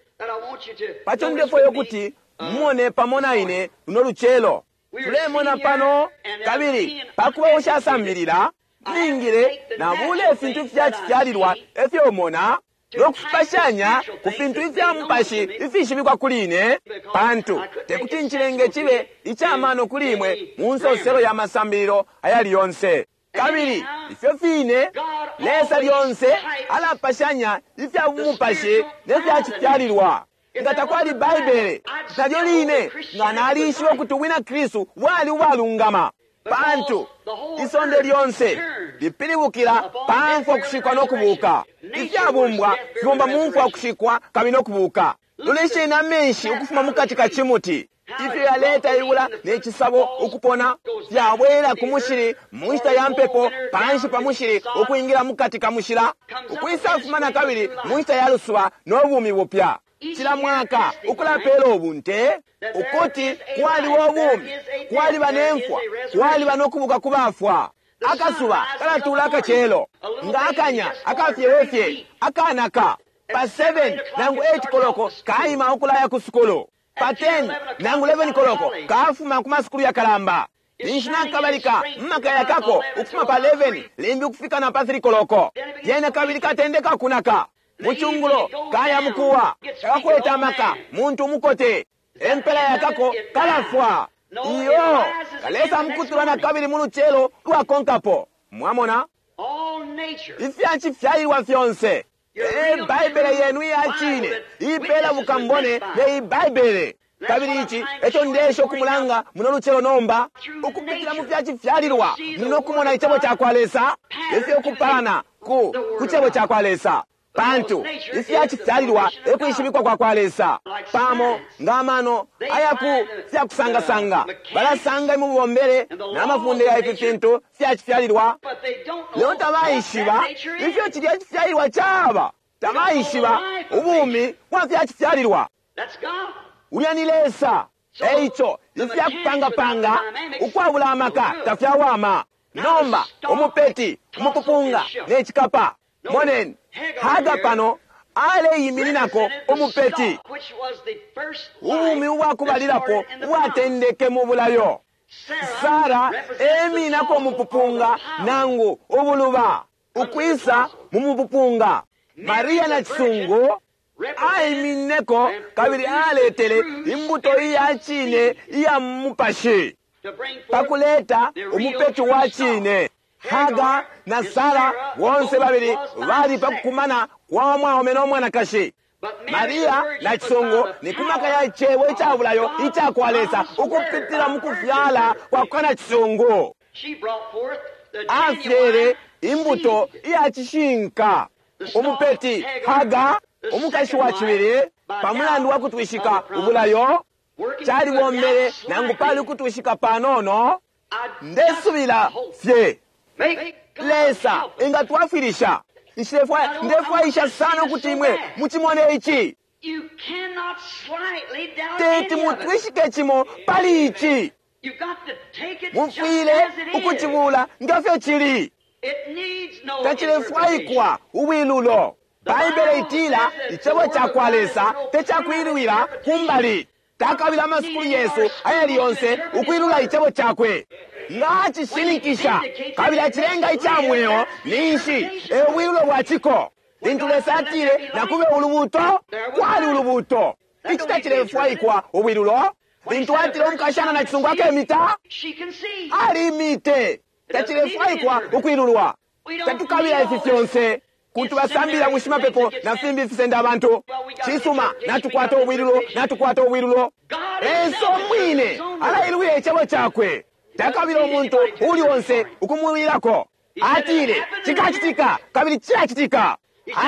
Paco ndefwayo kuti mumone pamo na ine luno lucelo. Tulemona pano, kabili pakuba ushasambilila, ningile nabule ifintu fya cifyalilwa efyo mona no kufipashanya ku fintu ifya mupashi ifishibikwa kuli ine, pantu tekuti ncilenge cibe icamano kuli imwe mu nsoselo ya masambililo ayali yonse. Kabili ifyo fine Lesa lyonse alapashanya ifya bumupashi ne fya cifyalilwa. Nga takwali Baibele, nalyo line nga nalishiba ukuti ubwina Kristu bwali ubwalungama, pantu isonde lyonse lipilibukila pa mfwa kushikwa no kubuka. Ifyabumbwa fibomba mu mfwa kushikwa kabili no kubuka. Lolesheni amenshi ukufuma mukati ka cimuti, ifyo yaleta ibula ne cisabo ukupona, fyabwela ku mushili mu nshita ya mpepo, panshi pa mushili ukwingila mukati ka mushila, ukwisafuma na kabili mu nshita ya lusuba no bumi bupya. Cila mwaka ukulapela ubunte ukuti kwaliba ubumi, kwaliba ne mfwa, kwaliba no kubuka ku bafwa. Akasuba kalatula akacelo nga akanya akafyewefye akanaka. Pa 7 nangu 8 koloko kaima ukulaya ku sukulu. Pa 10 nangu 11 koloko kafuma ku masukulu yakalamba. Ninshi nakabalika mmaka yakako ukufuma pa 11 limbi ukufika na pa 3 koloko. Lyena kabili katendeka kunaka. Muchungulo kaya mukuwa takakweta amaka muntu umukote, empela yakako kalafwa. Iyo kalesa mukutulwa na kabili mu lucelo lwakonkapo. Mwamona ifya cifyalilwa fyonse. E Baibele yenu iya cine ipela bukambone ne Baibele. Kabili ici eco ndesha ukumulanga muno lucelo nomba, ukupitila mu fya cifyalilwa muno kumona icebo ca kwa Lesa ifyo kupalana ku cebo ca kwa Lesa. Pantu ifya cifyalilwa ekwishibikwa kwa kwa Lesa, pamo nga amano aya ku fya kusangasanga balasanga imubombele na mafunde ya ifi fintu fya cifyalilwa, lelo tabaishiba ifyo cilya cifyalilwa caba. Tabaishiba ubumi bwa fya cifyalilwa. Ulya ni Lesa. Eico ifya kupangapanga ukwabula amaka tafyawama. Nomba umupeti, umupupunga ne cikapa, moneni Haga pano aleimininako umupeti, ubumi ubwakubalilapo ubwatendeke mu bulayo. Sara eminako umupupunga nangu ubuluba ukwisa mu mupupunga. Maria na cisungu aimineko kabili aletele imbuto iya cine iya mupashi pakuleta umupeti wa cine. Haga na Sara bonse babili bali pa kukumana kwa mwaume no mwanakashi. Maria na cisongo ni kumaka ya cebo ica bulayo ica kwa Lesa ukupitila mu kufyala kwa kwa cisongo. Afyele imbuto iya cishinka. Umupeti Haga umukashi wa cibili pa mulandu wa kutwishika ubulayo calibombele nangu pali ukutwishika panono. Ndesubila fye Lesa ingatwafwilisha. Ndefwaisha sana ukuti imwe muchimone ichi. Teti mutwishike chimo pali ichi. Mufwile ukuchibula ngefyo chili. Tachilefwaikwa ubwilulo. Baibele itila icebo ca kwa Lesa tecakwilwila kumbali. Takabila amasukulu Yesu ayali yonse ukwilula icebo cakwe. Nga acishininkisha kabili acilenga ica mweo ninshi e bwilulo bwa ciko. Lintu Lesa atile nakube ulubuto, kwali ulubuto. Ici tacilefwaikwa ubwilulo. Lintu atile umukashana na cisungu akemita, alimite. Tacilefwaikwa ukwilulwa. Tatukabila ifi fyonse. Kuntu basambila mushimapepo na fimbi fisenda abantu. Cisuma natukwata ubwilulo, natukwata ubwilulo. Lesa umwine alailwile icebo cakwe. Takabila umuntu uli onse ukumwilako. Atile cikacitika kabili cilacitika.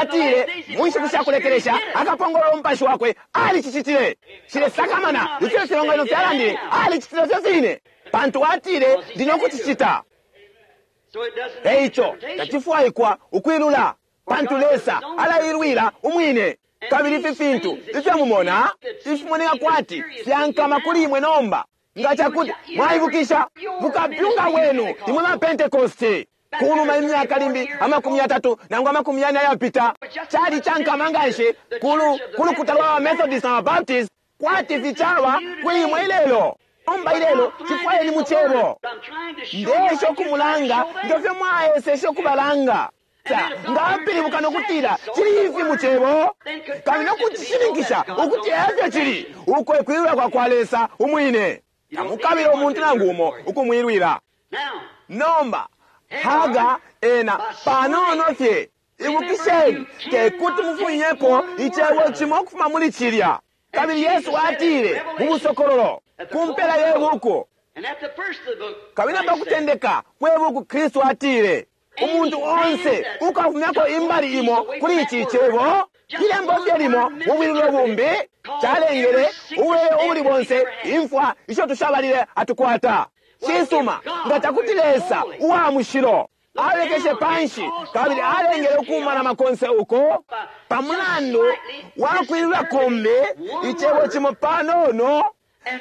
Atile mu nshiku sha kulekelesha akapongolola umupashi wakwe. Alicicitile. Cilesakamana ifyo ifilonganino fyalandile, alicitile fyo fine, pantu atile ndi no kucicita. Eico tacifwaikwa ukwilula, pantu Lesa alailwila umwine. Kabili ifi fintu ifyo mumona ifimoneka kwati fyankama kuli imwe nomba, nga cakuti mwaibukisha mukapyunga bwenu imwe ma Pentekoste kunuma imyaka limbi 30 nangu 40 ayapita, cali cankama nganshi kulukuta lwa Methodist na Baptist kwati ficawa kuli imwe ilelo. Nomba ilelo cifwayeni mu cebo. Ndesha ukumulanga ngefyo mwaeseshe ukubalanga. Nga apilibuka nokutila cili ifi mu cebo kabili nokucishininkisha ukuti efyo cili, uko ekwilula kwa kwa Lesa umwine. Tamukabila umuntu nangu umo ukumwilwila. Nomba Haga ena panono fye. Ibukisheni tekuti mufunyepo icebo cimo ukufuma muli cilya. Kabili Yesu atile mu busokololo ku mpela ye buku, kabili pa kutendeka kwe buku, Kristu atile umuntu onse ukafumyako imbali imo kuli ici cebo, ilembo fye limo mu bwilulo bumbi, calengele ubulele ubuli bonse imfwa isho tushabalile atukwata. Cisuma nga cakuti Lesa uwa mushilo alekeshe panshi kabili alengele ukumana makonse uko pamulandu wakwilula kumbi icebo cimo panono,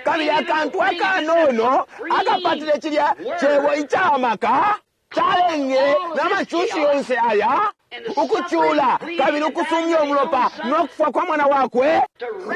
kabili akantu akanono akapatile cilya cebo icamaka calengele n'amacushi yonse aya ukucula kabili ukusumya umulopa no kufwa kwa mwana wakwe,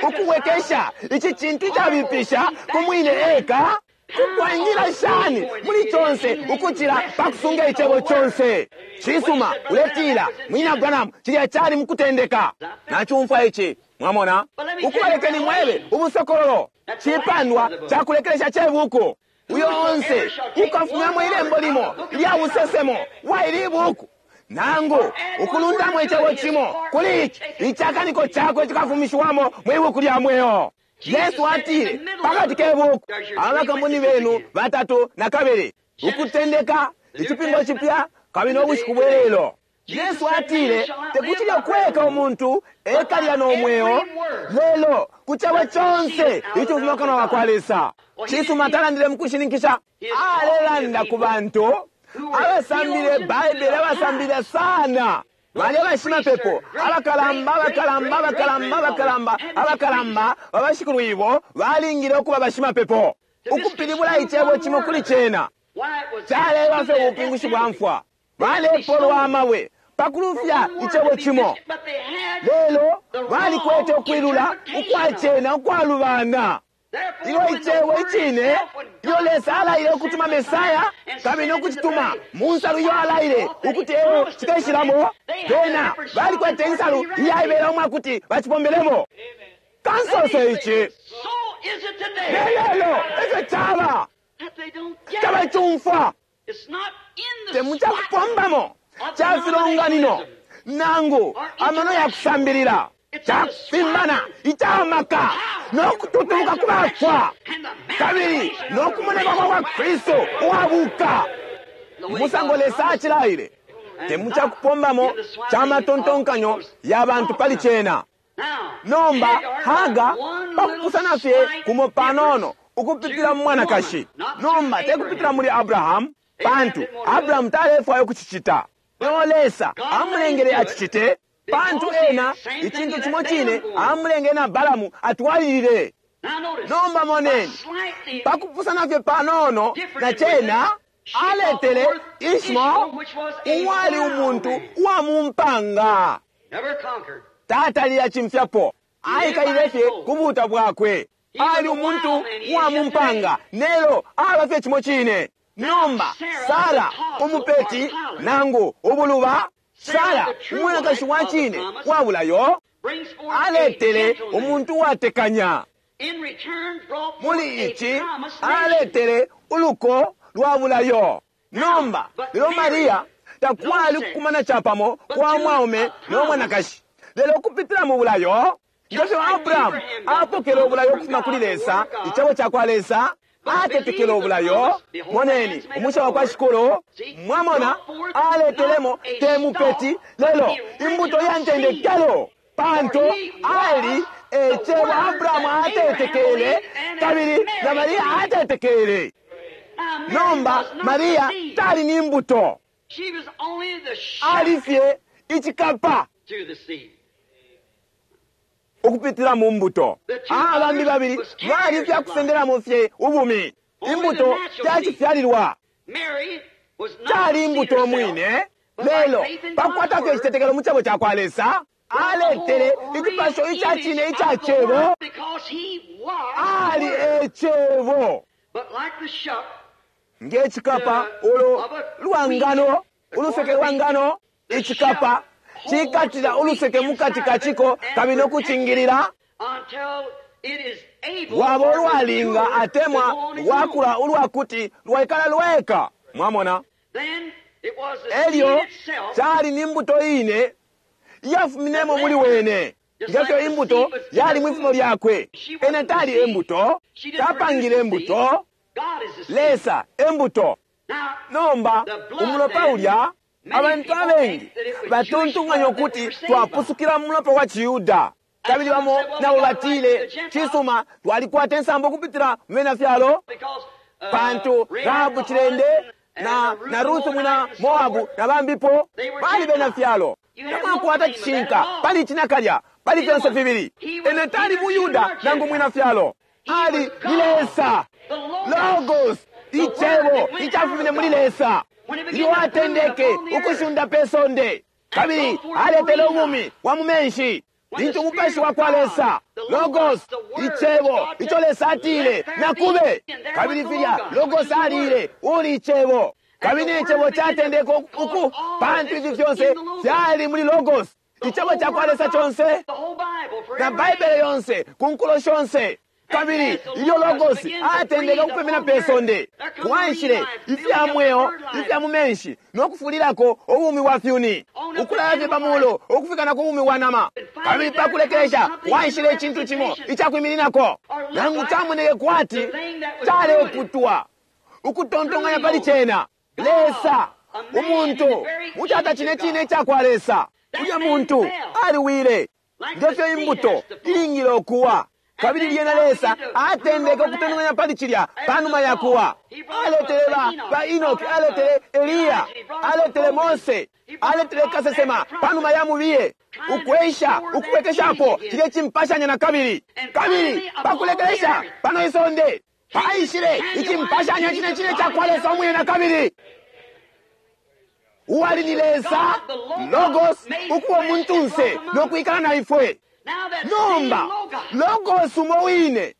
ukubwekesha ici cintu cabipisha ku mwine eka. Kukwangila shani muli conse ukucila pakusunga icebo conse. Cisuma uletila mwina Branham cilya cali mukutendeka. Nacumfwa ici mwamona. Ukubalekeni mwebe ubusokololo cipandwa cakulekelesha cebuku. Uyo onse ukafumyamo ilembo limo lya busesemo bwa ili buku nangu ukulundamo icebo cimo kuli ici, icakaniko cakwe cikafumishiwamo mwibuku lya mweo. Yesu atile pakati ke buku abakamboni benu batatu na kabili, ukutendeka icipingo cipya kabili nobushiku bwelelo. Yesu atile tekuti lyokweka umuntu ekalya nomweo lelo ku cebo conse icifuma kanwa wakwa Lesa. Cisuma talandile mukushininkisha, alelanda ku bantu abasambile Baibele, abasambile sana balya bashimapepo abakalamba abakalamba abakalamba abakalamba abakalamba babashikulwibo balingile ukuba bashimapepo. Ukupilibula icebo cimo kuli cena caleba fye ubupingushi bwa mfwa, balepolwa amabwe pakulufya icebo cimo, lelo balikwete ukwilula ukwacena ukwalubana. Ilyo icebo icine ilyo Lesa alaile ukutuma Mesaya kabili nokucituma mu nsalu iyo alaile ukuti eo cikeshilamo, bena balikwete insalu iyaibela umwakuti bacipombelemo. Kansose ici lelelo efyo caba, tabacumfwa. Te mucakupombamo ca filonganino nangu amano ya kusambilila, cakufimbana icamaka no kututubuka ku bafwa kabili no kumoneka kwa kwa Kristu uwabuka umusango Lesa acilaile, te mucakupombamo ca matontonkanyo ya bantu pali cena. Nomba Haga pakupusana fye kumo panono ukupitila mu mwanakashi, nomba te kupitila muli Abrahamu, pantu Abrahamu talefwaya ukucicita. Lelo Lesa amulengele acicite, pantu ena icintu cimo cine amulengele na Balamu atwalilile. Nomba moneni, pakupusana fye panono na cena, aletele Ishmael uwali umuntu uwa mu mpanga, tatalile acimfyapo, aikalile fye ku buta bwakwe. Ali umuntu uwa mu mpanga, nelo aba fye cimo cine. Nomba Sara umupeti nangu ubuluba, Sara umwanakashi wa cine wa bulayo, aletele umuntu uwatekanya. Muli ici aletele uluko lwa bulayo. Nomba lelo Maria takwali kukumana capamo kwa mwaume no mwanakashi, lelo kupitila mu bulayo, ngefyo Abrahamu apokele ubulayo ukufuma kuli Lesa, icebo ca kwa Lesa, atetekele ubulayo. Moneni umusha wa kwa Shikulu, mwamona, aletelemo te mupeti, lelo imbuto ya ntendekelo, pantu ali ecebo Abrahamu atetekele kabili na Maria atetekele. Nomba Maria tali ni mbuto, ali fye icikapa ukupitila mu mbuto. Abambi babili bali fya kusendelamo fye ubumi. Imbuto fyacifyalilwa, cali imbuto mwine, lelo pakukwata fye icitetekelo mu cebo ca kwa Lesa, aletele icipasho ica cine ica cebo. Ali ecebo nge cikapa ulo lwangano, uluseke lwa ngano. Icikapa cikatila uluseke mukati kaciko kabili nokucingilila lwaba ulwalinga atemwa lwakula ulwakuti lwaikala lweka. Mwamona, elyo cali ni mbuto ine iyafuminemo muli wene, ngefyo imbuto yali mwifumo lyakwe. Ene tali embuto, tapangile embuto, Lesa embuto. Nomba umulopa ulya, abantu abengi batontonkanya ukuti twapusukila mu mulopa wa ciYuda, kabili bamo nabo batile, cisuma, twalikwata insambo kupitila mu bena fyalo, pantu Rahabu cilende na Ruth mwina Moabu na bambipo bali bena fyalo. Tamwakwata cishinka pali ici nakalya, pali fyonse fibili. Ene tali mu Yuda nangu mwina fyalo, ali ni Lesa, Logos, icebo icafumine muli Lesa. Ilyo atendeke ukushunda pe sonde kabili aletele ubumi bwa mu menshi, lintu umupashi wa kwa Lesa, Logos, icebo ico Lesa atile nakube, kabili filya Logos alile uli icebo, kabili icebo catendeke uku, pantu ifi fyonse fyali muli Logos, icebo ca kwa Lesa conse na Baibele yonse ku nkulo shonse. Kabili ilyo Logos atendeke ukupemena pe sonde, kwaishile ifya mweo ifya mu menshi no kufulilako ubumi bwa fyuni, ukulaya fye pa muulu ukufika na ku bumi bwa nama. Kabili pa kulekelesha kwaishile icintu cimo icakwimininako, nangu camoneke kwati caleputwa ukutontonkanya pali cena. Lesa, umuntu mucata cine cine ica kwa Lesa, ulya muntu aliwile ngefyo imbuto ilingile ukuwa. Kabili lyena Lesa atendeke ukutontonkanya pali cilya panuma ya kuwa. Aletele ba Enoki, aletele Eliya, aletele Mose, aletele kasesema panuma ya mubiye, ukwesha ukubwekeshapo cilye cimpashanya na kabili. Kabili pakulekelesha pano isonde paishile icimpashanya cine cine ca kwa Lesa umwine na kabili, uwali ni Lesa Logos ukuba umuntunse no kwikala na ifwe. Nomba Logos umo wine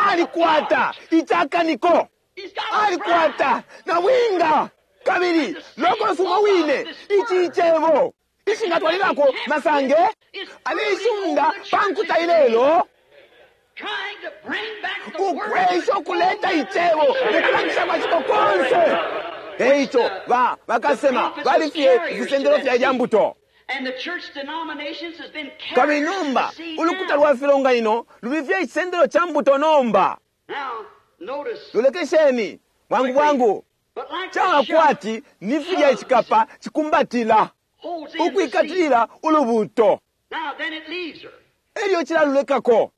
alikwata icakaniko, alikwata na winga, kabili Logos umo wine ici icebo ishingatwalilako masange alishunda pankuta ilelo, ukwesha ukuleta icebo mukulangisha kwa ciko konse. Eico ba bakasema bali fye ifisendelo fya ilya mbuto. Kabili nomba ulukuta lwa filonganino luli fye icisendelo ca mbuto nomba. Lolekesheni bwangu bwangu, caba kwati ni filya icikapa cikumbatila ukwikatilila ulubuto, elyo cilalulekako.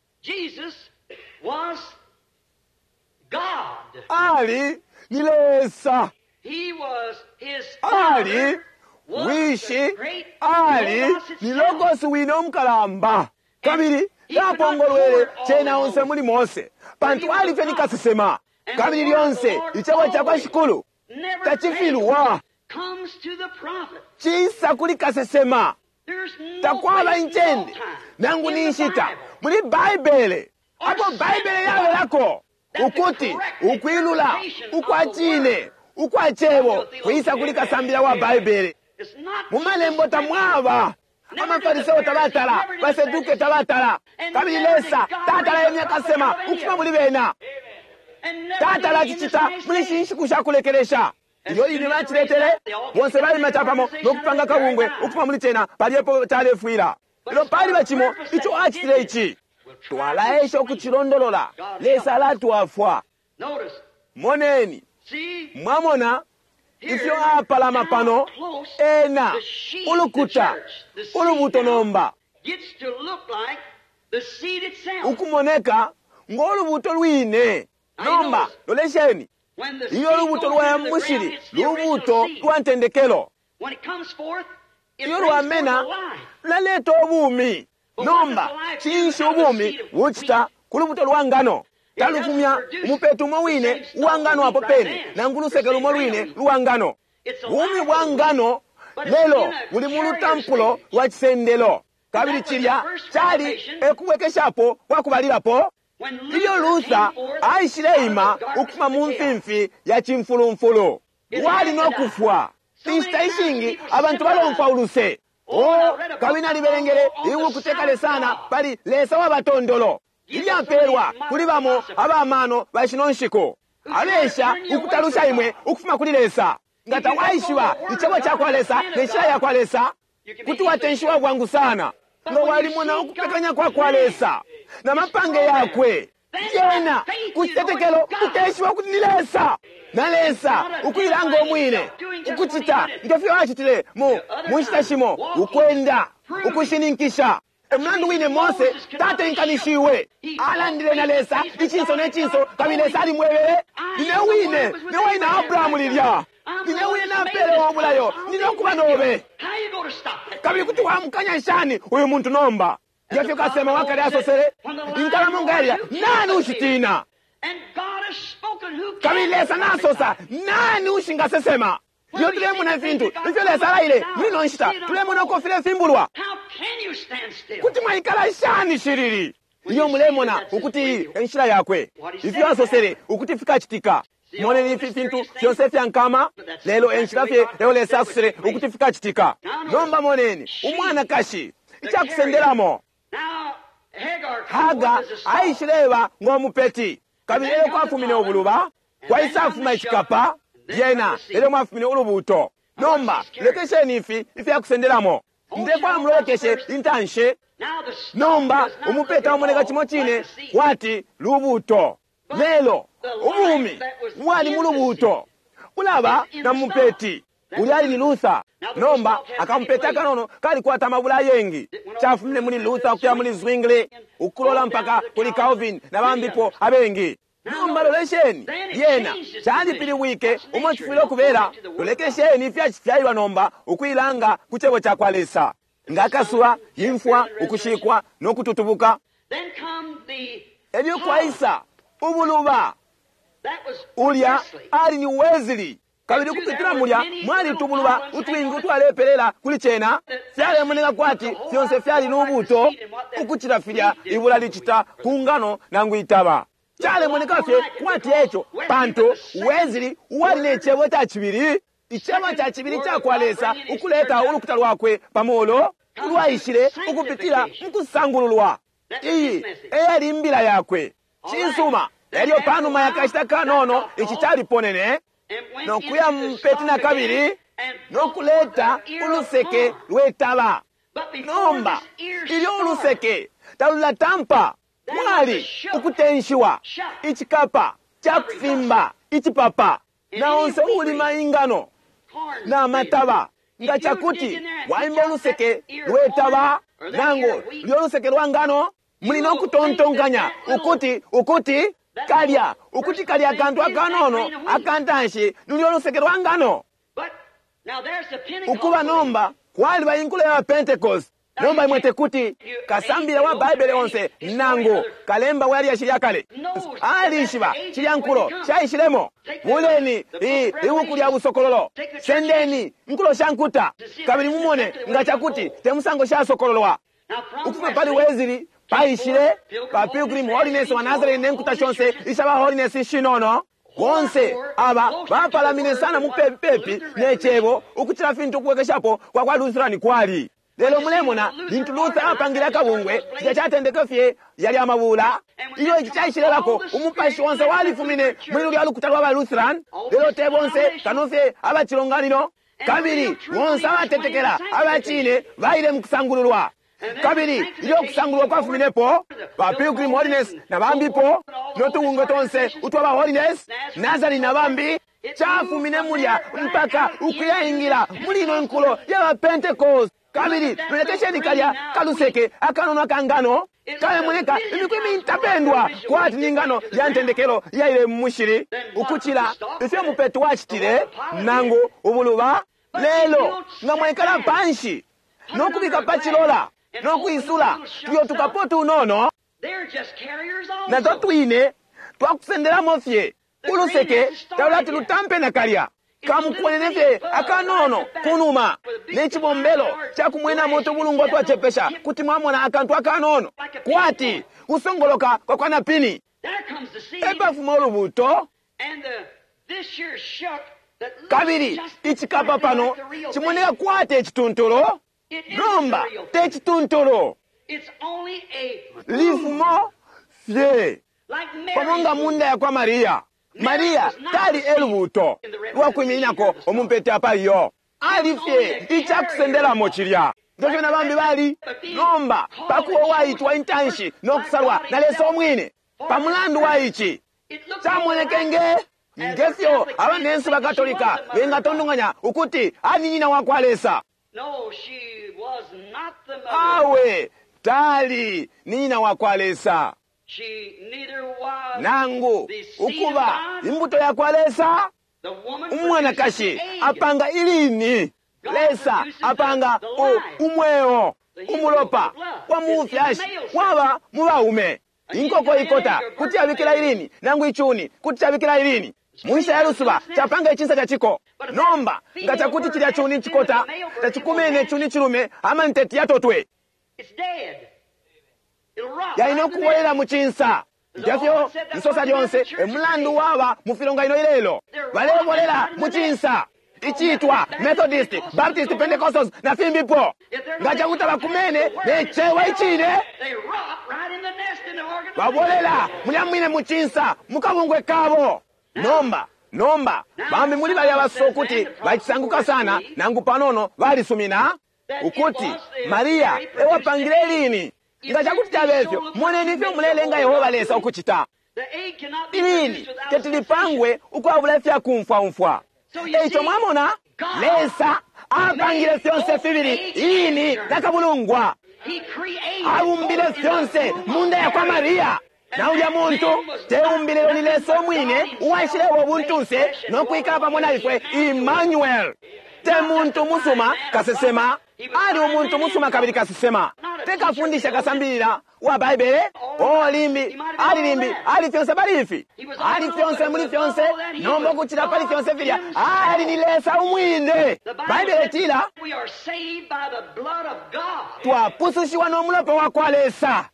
Ali ni Lesa, ali Wishi, ali ni Logosi wine umukalamba. Kabili tapongolwele cena onse muli Mose, pantu ali fye ni kasesema. Kabili lyonse icebo ca kwa Shikulu tacifilwa, cisa kuli kasesema. Takwaba incende nangu ni nshita muli Baibele apo Baibele yabelako ukuti ukwilula ukwa cine ukwa cebo kwisa kuli kasambila wa Baibele. Mu malembo tamwaba amafariseo tabatala, baseduke tabatala, kabili Lesa tatala yemya kasema ukufuma muli bena. Tatala acicita muli ishi nshiku sha kulekelesha. Ilyo line baciletele bonse balima capamo no kupanga kabungwe ukufuma muli cena, palyepo calefwila. Lelo paliba cimo ico acitile ici, twalaesha ukucilondolola. Lesa alatwafwa. Moneni, mwamona ifyo apalama pano ena ulukuta ulubuto nomba ukumoneka ngo lubuto lwine. Nomba lolesheni, iyo lubuto lwa mushili lubuto lwa ntendekelo, iyo lwamena lulaleta ubumi. Nomba cinshi ubumi bucita ku lubuto lwa ngano? Talufumya umupeto umo wine uwa ngano apo pene, nangu luseke lumo lwine lwa ngano. Bumi bwa ngano lelo buli mu lutampulo lwa cisendelo, kabili cilya cali ekubwekeshapo kwa kubalilapo. Ilyo Luther aishileima ukufuma mu mfimfi ya cimfulumfulu, wali no kufwa. Inshita ishingi abantu balomfwa uluse. O, kabili nalibelengele ibuku tekale sana pali Lesa wa batondolo, ilyapelwa kuli bamo abamano ba shino nshiku, abesha ukutalusha imwe ukufuma kuli Lesa. Nga tawaishiba icebo ca kwa Lesa ne nshila ya kwa Lesa, kuti watenshiwa bwangu sana. Nga walimona ukupekanya kwa kwa Lesa na mapange yakwe, yena ku citetekelo ukeshiba ukuti ni Lesa, na Lesa ukuilanga umwine ukucita nge fyo acitile mu nshita shimo, ukwenda ukushininkisha. Emulandu wine Mose tatenkanishiwe, alandile na Lesa icinso ne cinso, kabili Lesa alimwebele, nine wine ne wine Abrahamu lilya, nine wine napele obulayo, nine okuba nobe. Kabili kuti wamukanya shani uyu muntu nomba? Ngefyo kasema wakale asosele, inkalamo nga yalya, nani ushitina? Kabili Lesa nasosa, nani ushingasesema? Iyo tulemona ifintu ifyo Lesa alaile muli no nshita, tulemona uko filefimbulwa. Kuti mwaikala shani shilili? Iyo mulemona ukuti enshila yakwe, ifyo asosele ukuti fikacitika. Moneni ifi fintu fyonse fya nkama, lelo enshila fye eyo Lesa asosele ukuti fikacitika. Nomba moneni umwanakashi icakusendelamo. Haga aishileba ngo mupeti, kabili elyo kwafumine ubuluba, kwaisafuma icikapa, lyena elyo mwafumine ulubuto. Nomba lekesheni ifi ifyakusendelamo. Ndefwaya mulolekeshe intanshi. Nomba umupeta umoneka cimo cine kwati lubuto, lelo ubumi bwali mu lubuto bulaba na mupeti. Ulya ali ni Luther. Nomba akamupeti akanono kalikwata amabula ayengi. Cafumine muli Luther ukuya muli Zwingli, ukulola mpaka kuli Calvin na bambipo abengi. Nomba lolesheni, lyena calipilibwike umo cifwile ukubela. Lolekesheni ifyacifyalilwa nomba ukuilanga ku cebo ca kwa Lesa, nga akasuba, imfwa, ukushikwa no kututubuka. Elyo kwaisa ubuluba. Ulya ali ni Wesley, kabili ukupitila mulya mwali tubuluba utwingi utwalepelela kuli cena. Fyalemoneka kwati fyonse fyali lubuto ukucila filya ibula licita ku ngano nangu itaba. Calemoneka fye kwati eco, pantu Wesley uwali ne cebo ca cibili, icebo ca cibili ca kwa Lesa ukuleta ulukuta lwakwe pamolo, ulwaishile ukupitila mu kusangululwa. Iyi eyali imbila yakwe. Cisuma. Elyo panuma ya kashita kanono ici caliponene. No kuya mu mupeti na kabili no kuleta uluseke lwe taba. Nomba ilyo uluseke talulatampa, mwali ukutenshiwa, icikapa ca kufimba icipapa, na onse uulima ingano na mataba. Nga cakuti waimba uluseke lwe taba nangu lyo luseke lwa ngano, muli no kutontonkanya ukuti ukuti kalya ukuti kalya akantu akanono akantanshi lulyo luseke lwa ngano. Ukuba nomba kwaliba inkulo ya Pentecost. Nomba imwe tekuti kasambila wa Baibele onse nangu kalemba wa lyashi lya kale alishiba cilya nkulo caishilemo. Buleni i ibuku lya busokololo, sendeni nkulo sha nkuta, kabili mumone nga cakuti te musango shasokololwa. Ukufuma pali Wesley paishile pa Pilgrim Holiness wa Nazarene ne nkuta shonse isha ba Holiness ishinono. Bonse aba bapalamine sana mupepi ne cebo ukucila fintu ukubwekeshapo kwa kwa Lutheran kwali. Lelo mulemona lintu Luther apangile akabungwe, cilya catendeke fye yali amabula. Ilyo ici caishilebako, umupashi onse walifumine muli lulya lukuta lwa ba Lutheran, lelo te bonse kano fye aba cilonganino. Kabili bonse abatetekela aba cine baile mu kusangululwa. Kabili ilyo kusangululwa kwafuminepo, ba Pilgrim Holiness na bambipo, no tubungwe tonse utwa ba Holiness, Nazarene na bambi, cafumine mulya mpaka ukuyaingila muli ino nkulo ya ba Pentecost. Kabili lolekesheni kalya kaluseke akanono aka ngano kalemoneka imiku imintapendwa kwati ni ngano ya ntendekelo yaile mu mushili ukucila ifyo mupeto wacitile nangu ubuluba. Lelo nga mwaikala panshi no kubika pa cilola no kwisula tuyo tukapo tunono nato twine twakusendelamo fye uluseke talulati lutampe nakalya. Kamukwenene fye akanono kunuma ne cibombelo ca kumwenamo utubulungwa twacepesha kuti mwamona akantu akanono kwati kusongoloka kwa kwa napini. Epafuma ulubuto. Kabili icikapa pano cimoneka kwati ecituntulu, nomba te cituntulu, lifumo fye pamo nga munda ya kwa Maria. Maria tali elubuto lwakwimininako umumpete apa iyo, ali fye icakusendelamo cilya ngefyo na bambi bali. Nomba pakuba uwaitwa intanshi no kusalwa na Lesa umwine, pa mulandu wa ici camoneke nge ngefyo abanensu ba Katolika bengatondonganya ukuti ali nyina wa kwa Lesa. Awe, tali ni nyina wa kwa Lesa nangu ukuba imbuto ya kwa Lesa. Umwanakashi apanga ilini, Lesa apanga umweo. Umulopa wa mufyashi waba mu baume. Inkoko ikota kuti yabikila ilini, nangu icuni kuti cabikila ilini. Munshita ya lusuba capanga icinsa ca ciko. Nomba nga cakuti cilya cuni cikota tacikumene cuni cilume, amanteti yatotwe yaina ukubolela mu cinsa. Ngefyo nsosa lyonse emulandu waba mu filonganino ilelo, balebolela mu cinsa icitwa Methodist, Baptist, Pentecostals na fimbipo. Nga cakuti bakumene ne cebo icine, babolela mulya mwine mu cinsa mu kabungwe kabo. Nomba nomba bambi muli balya basosa ukuti bacisanguka sana nangu panono balisumina ukuti Maria ewapangile ilini. Nga cakuti cabe fyo, moneni ifyo mulelenga Yehova Lesa ukucita. Ilini teti lipangwe ukwabula ifya kumfwaumfwa. Eico mwamona, Lesa apangile fyonse fibili ilini na kabulungwa. Abumbile fyonse munda ya kwa Maria. Na ulya muntu teumbile lelo ni Lesa umwine uwaishileba ubuntunse no kwikala pamo na ifwe, Emmanuel. Te muntu musuma kasesema, ali umuntu musuma kabili kasesema. Te kafundisha kasambilila wa Baibele, o limbi, ali limbi, ali fyonse pali ifi, ali fyonse muli fyonse, nomba ukucila pali fyonse filya, ali ni Lesa umwine. Baibele itila, twapusushiwa no mulopa wa kwa Lesa.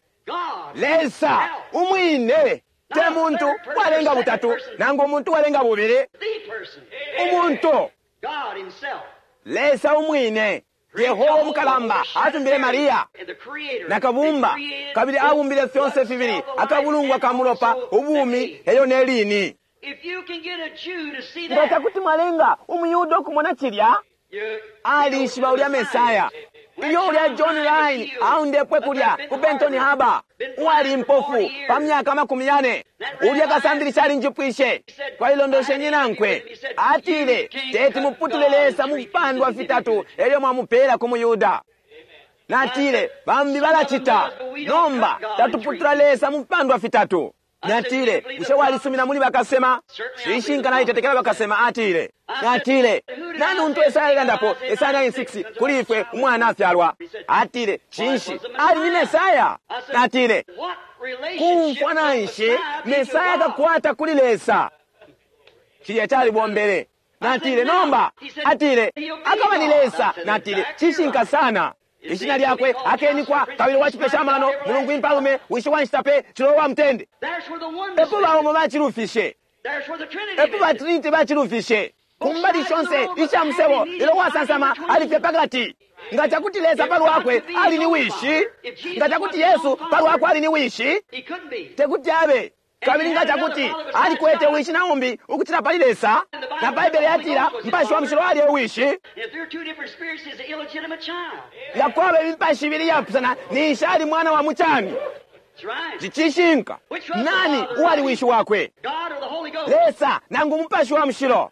Lesa umwine, te muntu walenga butatu nangu umuntu walenga bubili, umuntu Lesa umwine. Yehova umukalamba atumbile Maria na kabumba, kabili abumbile fyonse fibili, akabulungwa ka mulopa, ubumi, elyo ne lini. Nga cakuti mwalenga umuYuda ukumona cilya, alishiba ulya Mesaya. Ilyo ulya John Rhyn aundepwe kulya ku Benton Harbor, uwali impofu pa myaka 40, ulya kasambilisha alinjipwishe, twalilondoshenye nankwe. Atile, teti muputule Lesa mu fipandwa fitatu elyo mwamupela ku muYuda. Natile, bambi balacita, nomba tatuputula Lesa mu fipandwa fitatu. Natile, bushe walisumina muli bakasema? Cishinka nalitetekela bakasema, atile. Natile, nani untu Esaya alelandapo, Esaya 9:6, kuli ifwe umwana afyalwa? Atile, cinshi, ali ni Mesaya. Natile, kumfwana nshi Mesaya akakwata kuli Lesa? Cilya calibombele. Natile, nomba, atile, akaba ni Lesa. Natile, cishinka sana. Ishina lyakwe akenikwa kabili wa cipesha amano, Mulungu impalume, wishi wa nshita pe, cilolo wa mutende. Epo baumo bacilufishe, epo ba Trinity bacilufishe. Kumbali shonse isha musebo lelo wasansama ali fye pakati. Nga cakuti Lesa palwakwe ali ni wishi, nga cakuti Yesu palwakwe ali ni wishi, tekuti abe. Kabili nga cakuti alikwete wishi na umbi ukucila pali Lesa, na Baibele yatila Mupashi wa Mushilo ali e wishi, nga kwaba imipashi ibili iyapusana, ninshi ali mwana wa mucani. Cicishinka. Nani uwali wishi wakwe? Lesa nangu Mupashi wa Mushilo?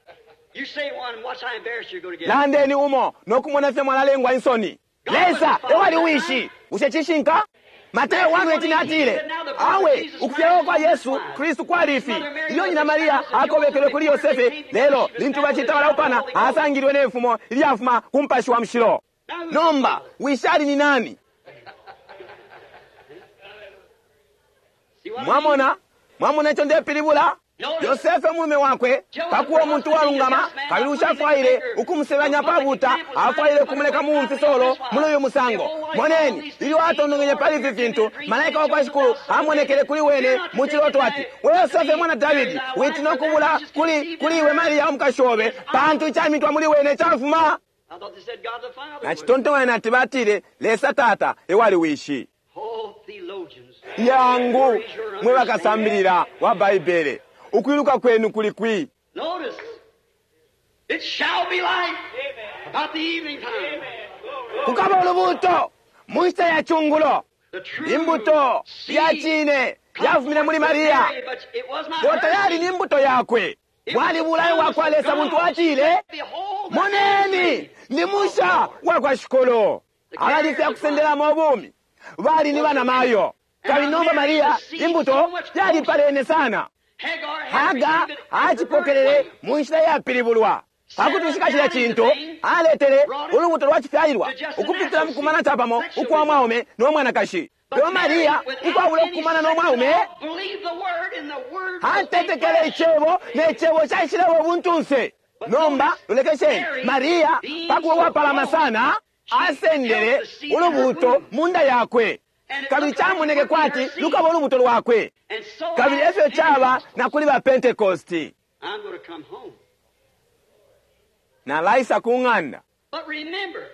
Landeni umo nokumona ifyo mwalalengwa insoni. Lesa ewali wishi. Bushe cishinka? Mateo 1:18 atile, awe ukufyalwa kwa Yesu Kristu kwali ifi. Ilyo nyina Maria akobekelwe kuli Yosefe, lelo lintu bacita balaupana, asangilwe ne mfumo ilyafuma ku Mupashi wa Mushilo. Nomba wishi ali ni nani? Mwamona? Mwamona ico ndepilibula? Yosefe umulume wakwe, pakuba umuntu uwalungama kabili ushafwaile ukumusebanya apabuuta, afwaile ukumuleka mu mfisolo muli uyu musango. Moneni, ilyo atontonkenye pali ifi fintu, malaika wa kwa Shikulu amonekele kuli wene mu ciloto ati, we Yosefe mwana Davidi, witina ukubula kuli kuli iwe Maria umukashi obe, pantu icamitwa muli wene cafuma. Nacitontonkanya nati batile, Lesa Tata ewali wishi. Yangu, mwe bakasambilila wa Baibele, ukwiluka kwenu kuli kwi? Kukaba ulubuuto mu nshita ya cungulo. Imbuto ya cine yafumine muli Maria, lelo tayali ni mbuto yakwe. Bwali bulayo bwa kwa Lesa buntu atile, moneni, ni musha wa kwa Shikulu. Abali fya kusendelamo ubumi bali ni banamayo. Kabili nomba Maria, imbuto yalipalene sana. Haga acipokelele mu nshila yapilibulwa. Pakutushika cilya cintu, aletele ulubuto lwa cifyalilwa ukupitila mu kumana capamo ukwa mwaume no mwanakashi. Lelo Maria, ukwabula ukukumana no mwaume, atetekele icebo, ne cebo caishileba ubuntunse. Nomba lolekesheni, Maria pakuba uwapalama sana, asendele ulubuto mu nda yakwe, kabili camoneke kwati lukaba ulubuto lwakwe. Kabili efyo caba na kuli ba Pentekosti. Nalaisa ku ng'anda.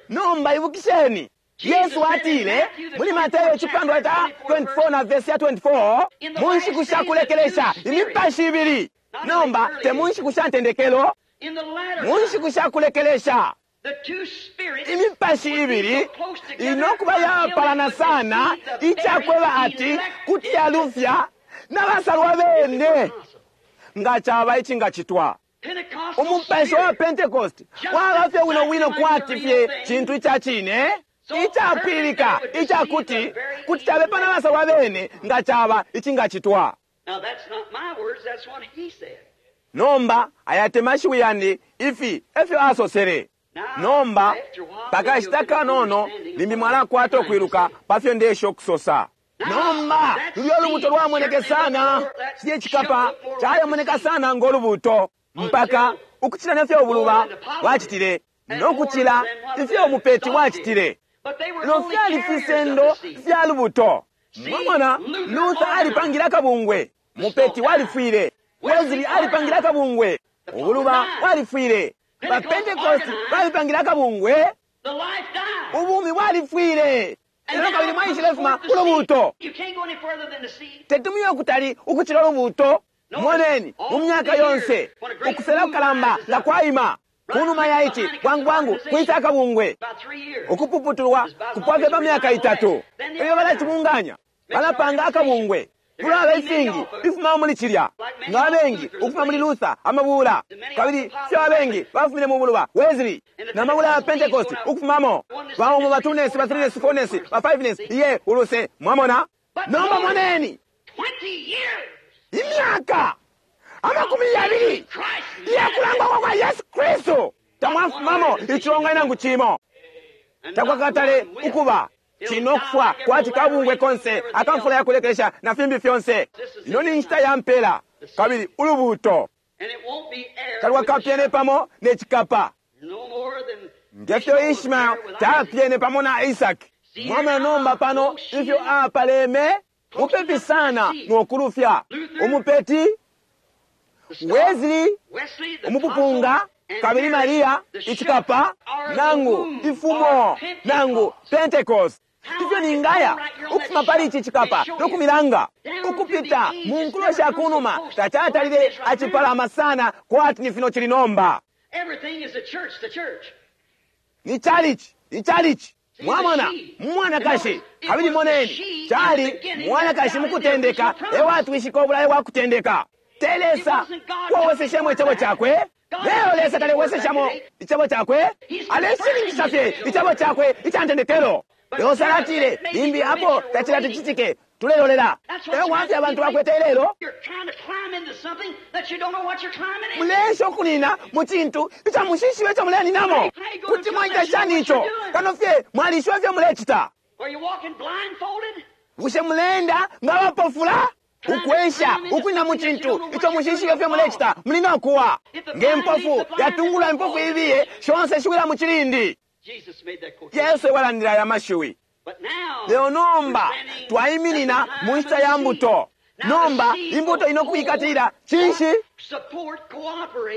Nomba ibukisheni, Yesu atile muli Mateo icipandwa ca 24 na vesi ya 24, mu nshiku sha kulekelesha imipashi ibili. Nomba te mu nshiku sha ntendekelo, mu nshiku sha kulekelesha imipashi ibili inokuba yapalana sana icakweba ati kuti yalufya na basalwa bene nga caba icingacitwa. Umupashi wa Pentecost waba fye wino wino kwati fye cintu ica cine icapwililika icakuti kuti cabepa na basalwa bene nga caba icingacitwa. Nomba aya te mashiwi yandi, ifi efyo asosele. Nomba pakashita kanono limbi mwalakwata ukwiluka pa fyo ndesha ukusosa. Nomba lulyo lubuto lwamoneke sana, cilye cikapa calemoneka sana ngo lubuto, mpaka ukucila nefyo ubuluba bwacitile no kucila ifyo umupeti wacitile. Lelo fyali fisendo fya lubuto. Mwamona, Luther alipangile akabungwe, mupeti walifwile. Wesley alipangile akabungwe, ubuluba walifwile. Ba Pentecost balipangile akabungwe, ubumi bwalifwile. Lelo kabili mwaishile fuma ku lubuto. Tetumuye ukutali ukucila ulubuto. Moneni, mu myaka yonse ukusela kukalamba nga kwaima kunuma ya ici, bwangu bwangu kwisa akabungwe. Ukupuputulwa kupwa fye pa myaka itatu. Elyo balacibunganya, balapanga akabungwe. Kulaba ifingi ifuma muli cilya, nga abengi ukufuma muli Luther, amabula, kabili fyo abengi bafumine mu buluba Wesley na mabula ya Pentecost ukufumamo. Baumo ba two-ness, ba three-ness, four-ness, ba five-ness, iye uluse, mwamona. Nomba moneni imyaka 20 iyakulangwa kwa kwa Yesu Kristu, tamwafumamo icilonganino nangu cimo. Takwakatale ukuba cino kufwa kwati kabungwe konse akamfula yakulekelesha na fimbi fyonse. Ino ni nshita ya mpela, kabili ulubuuto talwakapyene pamo ne cikapa, ngefyo Ishmael tapyene pamo na Isaki. Mwamona nomba pano ifyo apaleme mupepi sana nokulufya umupeti Wesley, umupupunga, kabili Maria icikapa, nangu ifumo, nangu Pentecost. Ifyo ningaya ukufuma pali ici cikapa nokumilanga ukupita mu nkulo sha kunuma, tacatalile acipalama sana kwati ni fino cili nomba. Ni chalichi, ni chalichi. Mwamona mwanakashi, kabili moneni cali mwanakashi mukutendeka ewatwishika obulayo bwa kutendeka. Te Lesa wawoseshemo icebo cakwe. Lelo Lesa talewoseshamo icebo cakwe, aleshininkisha fye icebo cakwe ica ntendekelo. Lelo salatile limbi apo tacilati cicitike, tulelolela. Eyo wafye abantu bakwete lelo. Mulesha ukunina mu cintu ica mushishiwe ico muleninamo. Kuti mwaita shani ico kano fye mwalishiwa fye mulecita? Bushe muleenda nga abapofula? Ukwesha ukwina mu cintu ico mushishiwe fye mulecita, muli no kuwa. Nge mpofu yatungulula impofu ibiye, shonse shiwila mu cilindi. Yesu ewalandila aya mashiwi. Lelo nomba twaiminina mu nshita ya mbuto. Nomba imbuto ino kuikatilila cinshi?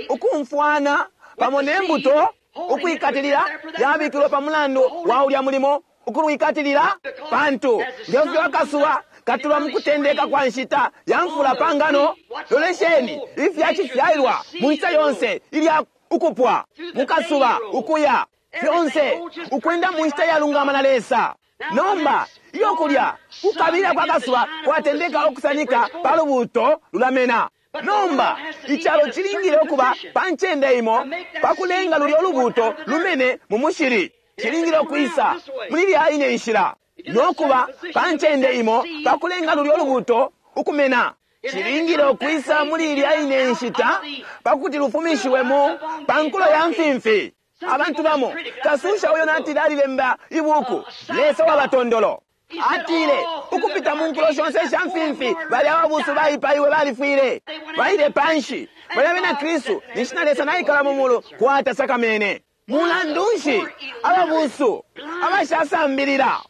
Ukumfwana pamo ne mbuto, ukuikatilila yabikilwe pa mulandu wa ulya mulimo, ukulwikatilila, pantu ngefyo akasuba katulwa mu kutendeka kwa nshita ya mfula pa ngano. Lolesheni ifya cifyailwa mu nshita yonse ilya ukupwa mukasuba ukuya fyonse ukwenda mu nshita yalungama na Lesa. Nomba iyo kulya kukabila kwa kasuba kwatendeka ukusanika pa lubuto lulamena. Nomba icalo cilingile ukuba pa ncende imo pa kulenga lulya ulubuto lumene mu mushili. Cilingile ukwisa muli lya ine nshila nokuba pa ncende imo pa kulenga lulya ulubuto ukumena. Cilingile ukwisa muli ilya ine nshita pa kuti lufumishiwemo pa nkulo ya mfimfi. Abantu bamo kasusha uyo natile alilemba ibuku Lesa wa batondolo. Atile ukupita mu nkulo shonse sha mfimfi bali ababusu baipaiwe balifwile baile panshi bali abena Kristu ninshi na Lesa naikala mu mulu kwata sakamene. Mulandu nshi ababusu abashasambilila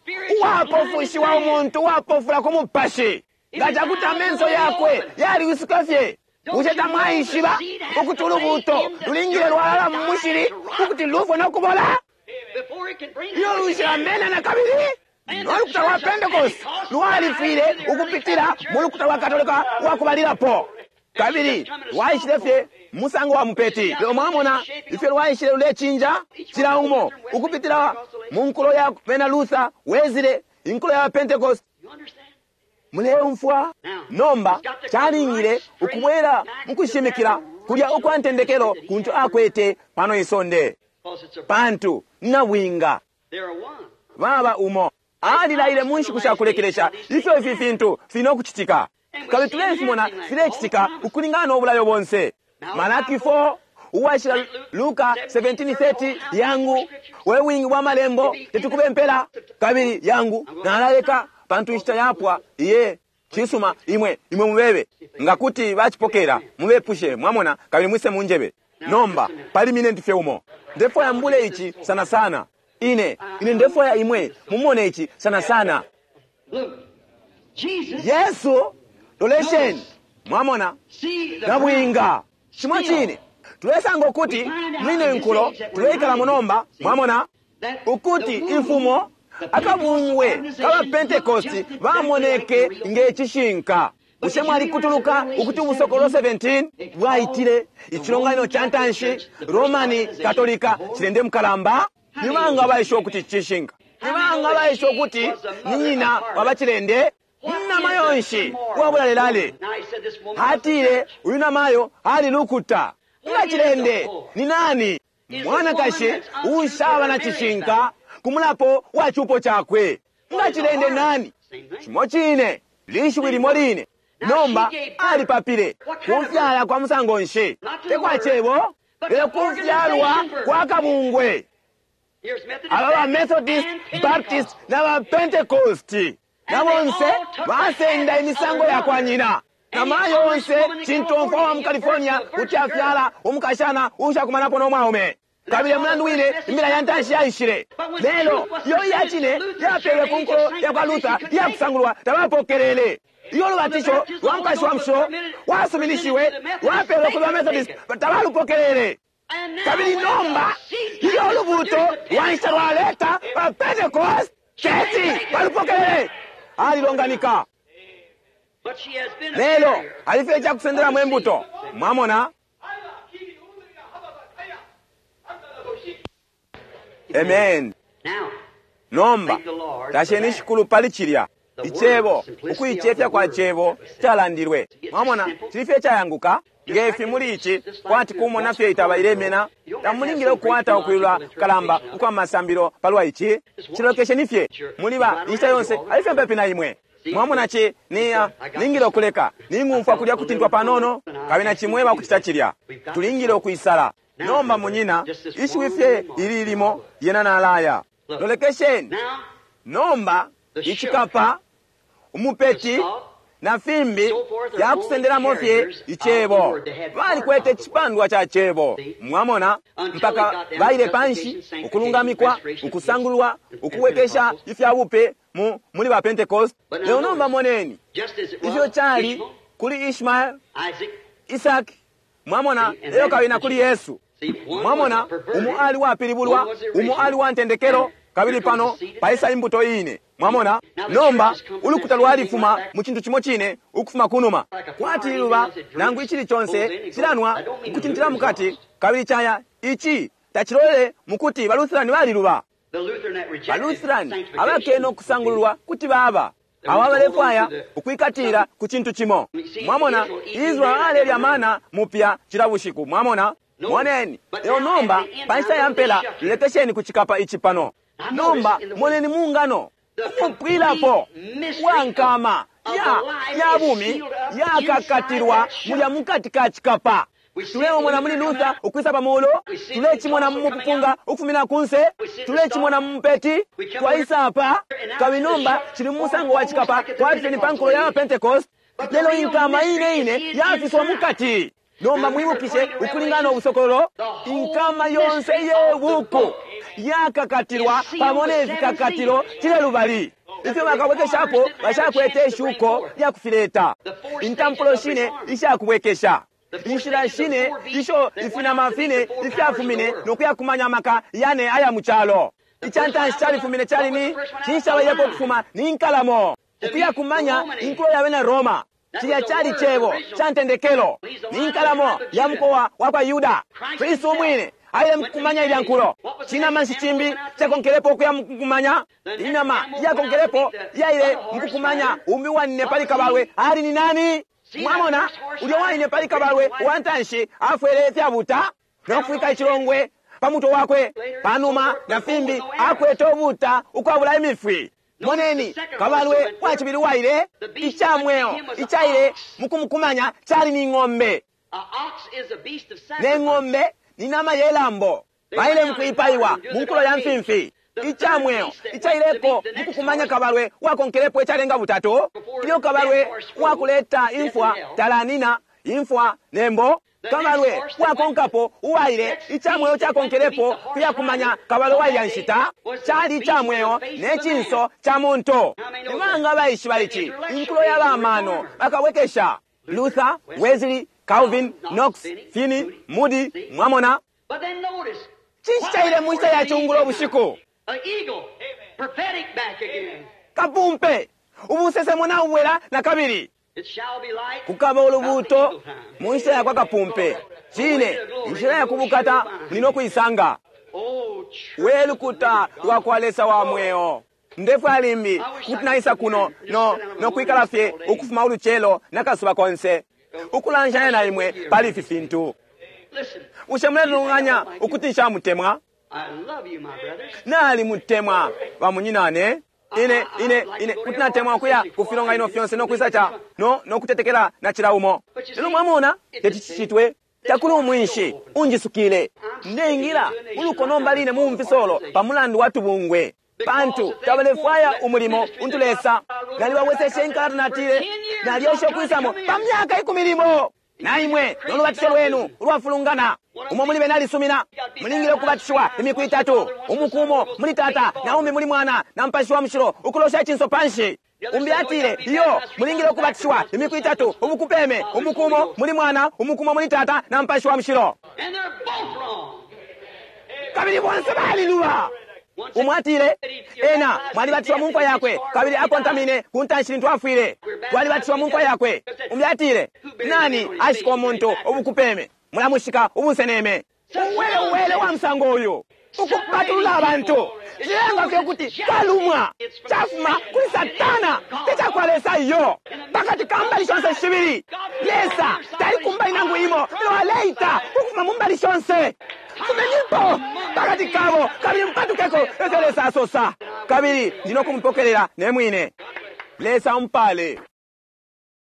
uwapofushiwa umuntu uwapofula ku mupashi nga cakuti amenso yakwe yaliwisuka fye? Bushe tamwaishiba ukuti ulubuto lulingile lwalala mu mushili ukuti lufwe no kubola? Iyo lushilamena na kabili. No lukuta lwa Pentecost lwalifwile ukupitila mu lukuta lwa Katolika lwa kubalilapo, kabili lwaishile fye musango wa mupeti. Lelo mwamona ifyo lwaishile lulecinja cila umo ukupitila mu nkulo ya bena Luther, Wesley, inkulo ya Pentecost. Muleumfwa? Nomba calingile ukubwela mu kushimikila kulya ukwa ntendekelo kuntu akwete pano isonde, pantu nabwinga baba umo. Alilaile mu nshiku sha kulekelesha ifyo ifi fintu fili no kucitika, kabili tulefimona filecitika ukulingana no bulayo bonse. Malaki 4 uwashila Luka 17:30, yangu we wingi bwa malembo tetukube mpela, kabili yangu nalaleka pantu inshita yapwa. Iye cisuma, imwe imwe mubebe nga kuti bacipokela mubepushe, mwamona, kabili mwise munjebe. Nomba pali minenti fye umo ndefwaya mbule ici sana sana. Ine ine ndefwaya imwe mumone ici sana sana. Yesu lolesheni, mwamona nabwinga cimo cine tulesanga ukuti mwine nkulo tuleikalamo nomba, mwamona ukuti imfumo akabungwe kaba Pentecost bamoneke nge cishinka. Bushe mwalikutuluka ukuti Ubusokolo 17 bwaitile icilonganino ca ntanshi Romani Katolika cilende mukalamba? Ni banga abaishiba ukuti cishinka? Ni banga abaishiba ukuti ni nyina wa bacilende? Namayo nshi uwabulalelale? Atile uyu namayo ali lukuta. Nga cilende ni nani? Mwanakashi uushaba na cishinka ku mulapo wa cupo cakwe. Nga cilende nani? Cimo cine, lishiwi limo line. Nomba alipapile. Kufyala kwa musango nshi? Te kwa cebo, lelo kufyalwa kwa kabungwe. Aba ba Methodist, Baptist na ba Pentecost na bonse basenda imisango ya kwa nyina. Na mayo onse cintomfwa wa mu California kuti afyala umukashana uushakumanapo no mwaume. Kabili mulandu wine imbila ya ntanshi yaishile. Lelo iyo iya cine yapelwe ku nkulo ya kwa Luther iya kusangulwa tabapokelele. Iyo lubatisho lwa Mupashi wa Mushilo wasuminishiwe lwapelwe kuli ba Methodist tabalupokelele. Kabili nomba iyo ulubuuto lwa nshita lwaleta ba Pentecost teti balupokelele. Alilonganika. Lelo alifye ica kusendelamo imbuto. Mwamona? Amen. Nomba tasheni Shikulu pali cilya Icebo, ukuicefya kwa Cebo calandilwe. Mwamona, cili fye icayanguka nge fi muli ici, kwati kumona fye itaba ilemena. Tamulingile ukukwata ukwilula kukalamba ukwa masambilo palwa ici. Cilolekesheni fye muli ba inshita yonse ali fye mupepi na imwe. Mwamona, ci ni, ningile ukuleka. Ning'umfwa kulya kutintwa panono, kabili nacimweba ukucita cilya. Tulingile ukwisala. Nomba, munyina, ishiwi fye ili limo, lyena nalaya. Lolekesheni nomba icikapa, umupeti, na fimbi fyakusendelamo fye Icebo. Balikwete icipandwa ca Cebo, mwamona, mpaka baile panshi, ukulungamikwa, ukusangulwa, ukubwekesha ifya bupe mu muli ba Pentecost. Lelo nomba moneni ifyo cali kuli Ishmael, Isaki, mwamona, elyo kabili na kuli Yesu. Mwamona, umo ali wapilibulwa, umo ali wa ntendekelo, kabili pano paisa imbuto ine. Mwamona? Nomba ulukuta lwalifuma mu cintu cimo cine ukufuma kunuma, kwati liluba nangu icili conse cilanwa ukutintila mukati kabili caya. Ici tacilolele mukuti baLutherani baliluba. BaLutherani abakene ukusangululwa kuti baba abo abalefwaya ukwikatila ku cintu cimo. Mwamona, Israel alelya mana mupya cila bushiku. Mwamona? Moneni. Lelo nomba pa nshita ya mpela, lolekesheni ku cikapa ici pano. Nomba moneni mu ngano umupwilapo wa nkama ya ya bumi yakakatilwa mulya mukati ka cikapa. Tulemona muli Luther ukwisa pa mulu, tulecimona mu mupupunga ukufumina kunse, tulecimona mu mupeti, twaisa apa, kabili nomba cili mu musango wa cikapa kwati fye ni pa nkulo ya Pentecost. Lelo inkama ine ine yafiswa mukati. Nomba mwibukishe, ukulingana no busokololo, inkama yonse ye buku yakakatilwa pamo ne fikakatilo cile lubali ifyo bakabwekeshapo bashakwete ishuko lya kufileta. Intampulo shine ishakubwekesha, inshila shine isho ifinama fine ifyafumine no kuyakumanya amaka yane aya mu calo. Ica ntanshi califumine cali ni cinshi cabalilepo ukufuma? Ni nkalamo, ukuyakumanya inkulo ya bena Roma. Cilya cali Cebo ca ntendekelo, ni nkalamo ya mukowa wa kwa Yuda. Kristu umwine aile mukukumanya ilya nkulo. Cinama nshi cimbi cakonkelepo ukuya mukukumanya? Inama iyakonkelepo yaile mukukumanya umbi uwanine pali kabalwe ali ni nani? Mwamona, ulya uwaine pali kabalwe uwa ntanshi afwele ifyabuta no kufwika icilongwe pa mutwe wakwe, panuma na fimbi akwete ubuta ukwabula imifwi. Moneni, kabalwe wa cibili waile, ica mweo icaile mukumukumanya cali ni ng'ombe. Ne ng'ombe ni nama ye lambo. Baile mukwipaiwa mu nkulo ya mfimfi. Ica mweo icaileko mukukumanya kabalwe wakonkelepo icalenga butatu, ilyo kabalwe wakuleta imfwa talanina imfwa nembo. Kabalwe wakonkapo uwaile, ica mweo cakonkelepo kuyakumanya kabalwe wailya nshita cali ica mweo ne cinso ca muntu. Ni banga baishiba ici? Inkulo ya bamano bakabwekesha Luther, Wesley, Calvin, Knox, Finney, Moody. Mwamona? Cinshi caile mu nshita ya cungulo bushiku? Kapumpe! Ubusesemo nabubwela na kabili. Kukaba ulubuuto mu nshita ya kwa kapumpe. Cine, inshila ya kubukata muli no kuisanga. We lukuta lwa kwa Lesa wa mweo. Ndefwaya limbi kuti naisa kuno no, no kwikala fye ukufuma ulucelo na kasuba konse ukulanshanya na imwe pali ifi fintu. Bushe muletunganya ukuti nshamutemwa? Nalimutemwa bamunyinane. Ine, ine, ine kuti natemwa ukuya ku filonganino fyonse no kwisa ca no, no kutetekela na cila umo. Lelo mwamona teti cicitwe. Takuli umwinshi unjisukile. Ndeingila uluko nomba line mu mfisolo pa mulandu wa tubungwe. Pantu tabalefwaya umulimo untu Lesa. Nalibabweseshe inkalata natile nalyesha ukwisamo pa myaka ikumi limo. Na imwe no lubatisho lwenu ulwafulungana. Umo muli bena alisumina. Mulingile ukubatishiwa imiku itatu. Umuku umo muli Tata, na umbi muli Mwana, na Mupashi wa Mushilo, ukulosha icinso panshi. Umbi atile, iyo, mulingile ukubatishiwa imiku itatu, ubukupeme, umuku umo muli Mwana, umuku umo muli Tata, na Mupashi wa Mushilo. Kabili bonse baliluba. Umo atile, ena mwalibatishiwa mu mfwa yakwe, kabili akontamine ku ntanshi lintu afwile. Twalibatishiwa mu mfwa yakwe. Umbi atile, nani ashika umuntu ubukupeme? Mulamushika ubunseneme. Uwele uwele wa musango uyu ukupatulula abantu cilenga fye ukuti kalumwa cafuma kuli Satana, te ca kwa Lesa iyo. Pakati ka mbali shonse shibili, Lesa tali ku mbali nangu imo, lelo aleita ukufuma mu mbali shonse. Fumenipo pakati kabo kabili mupatukeko, efyo Lesa asosa, kabili ndi no kumupokelela ne mwine. Lesa ampale.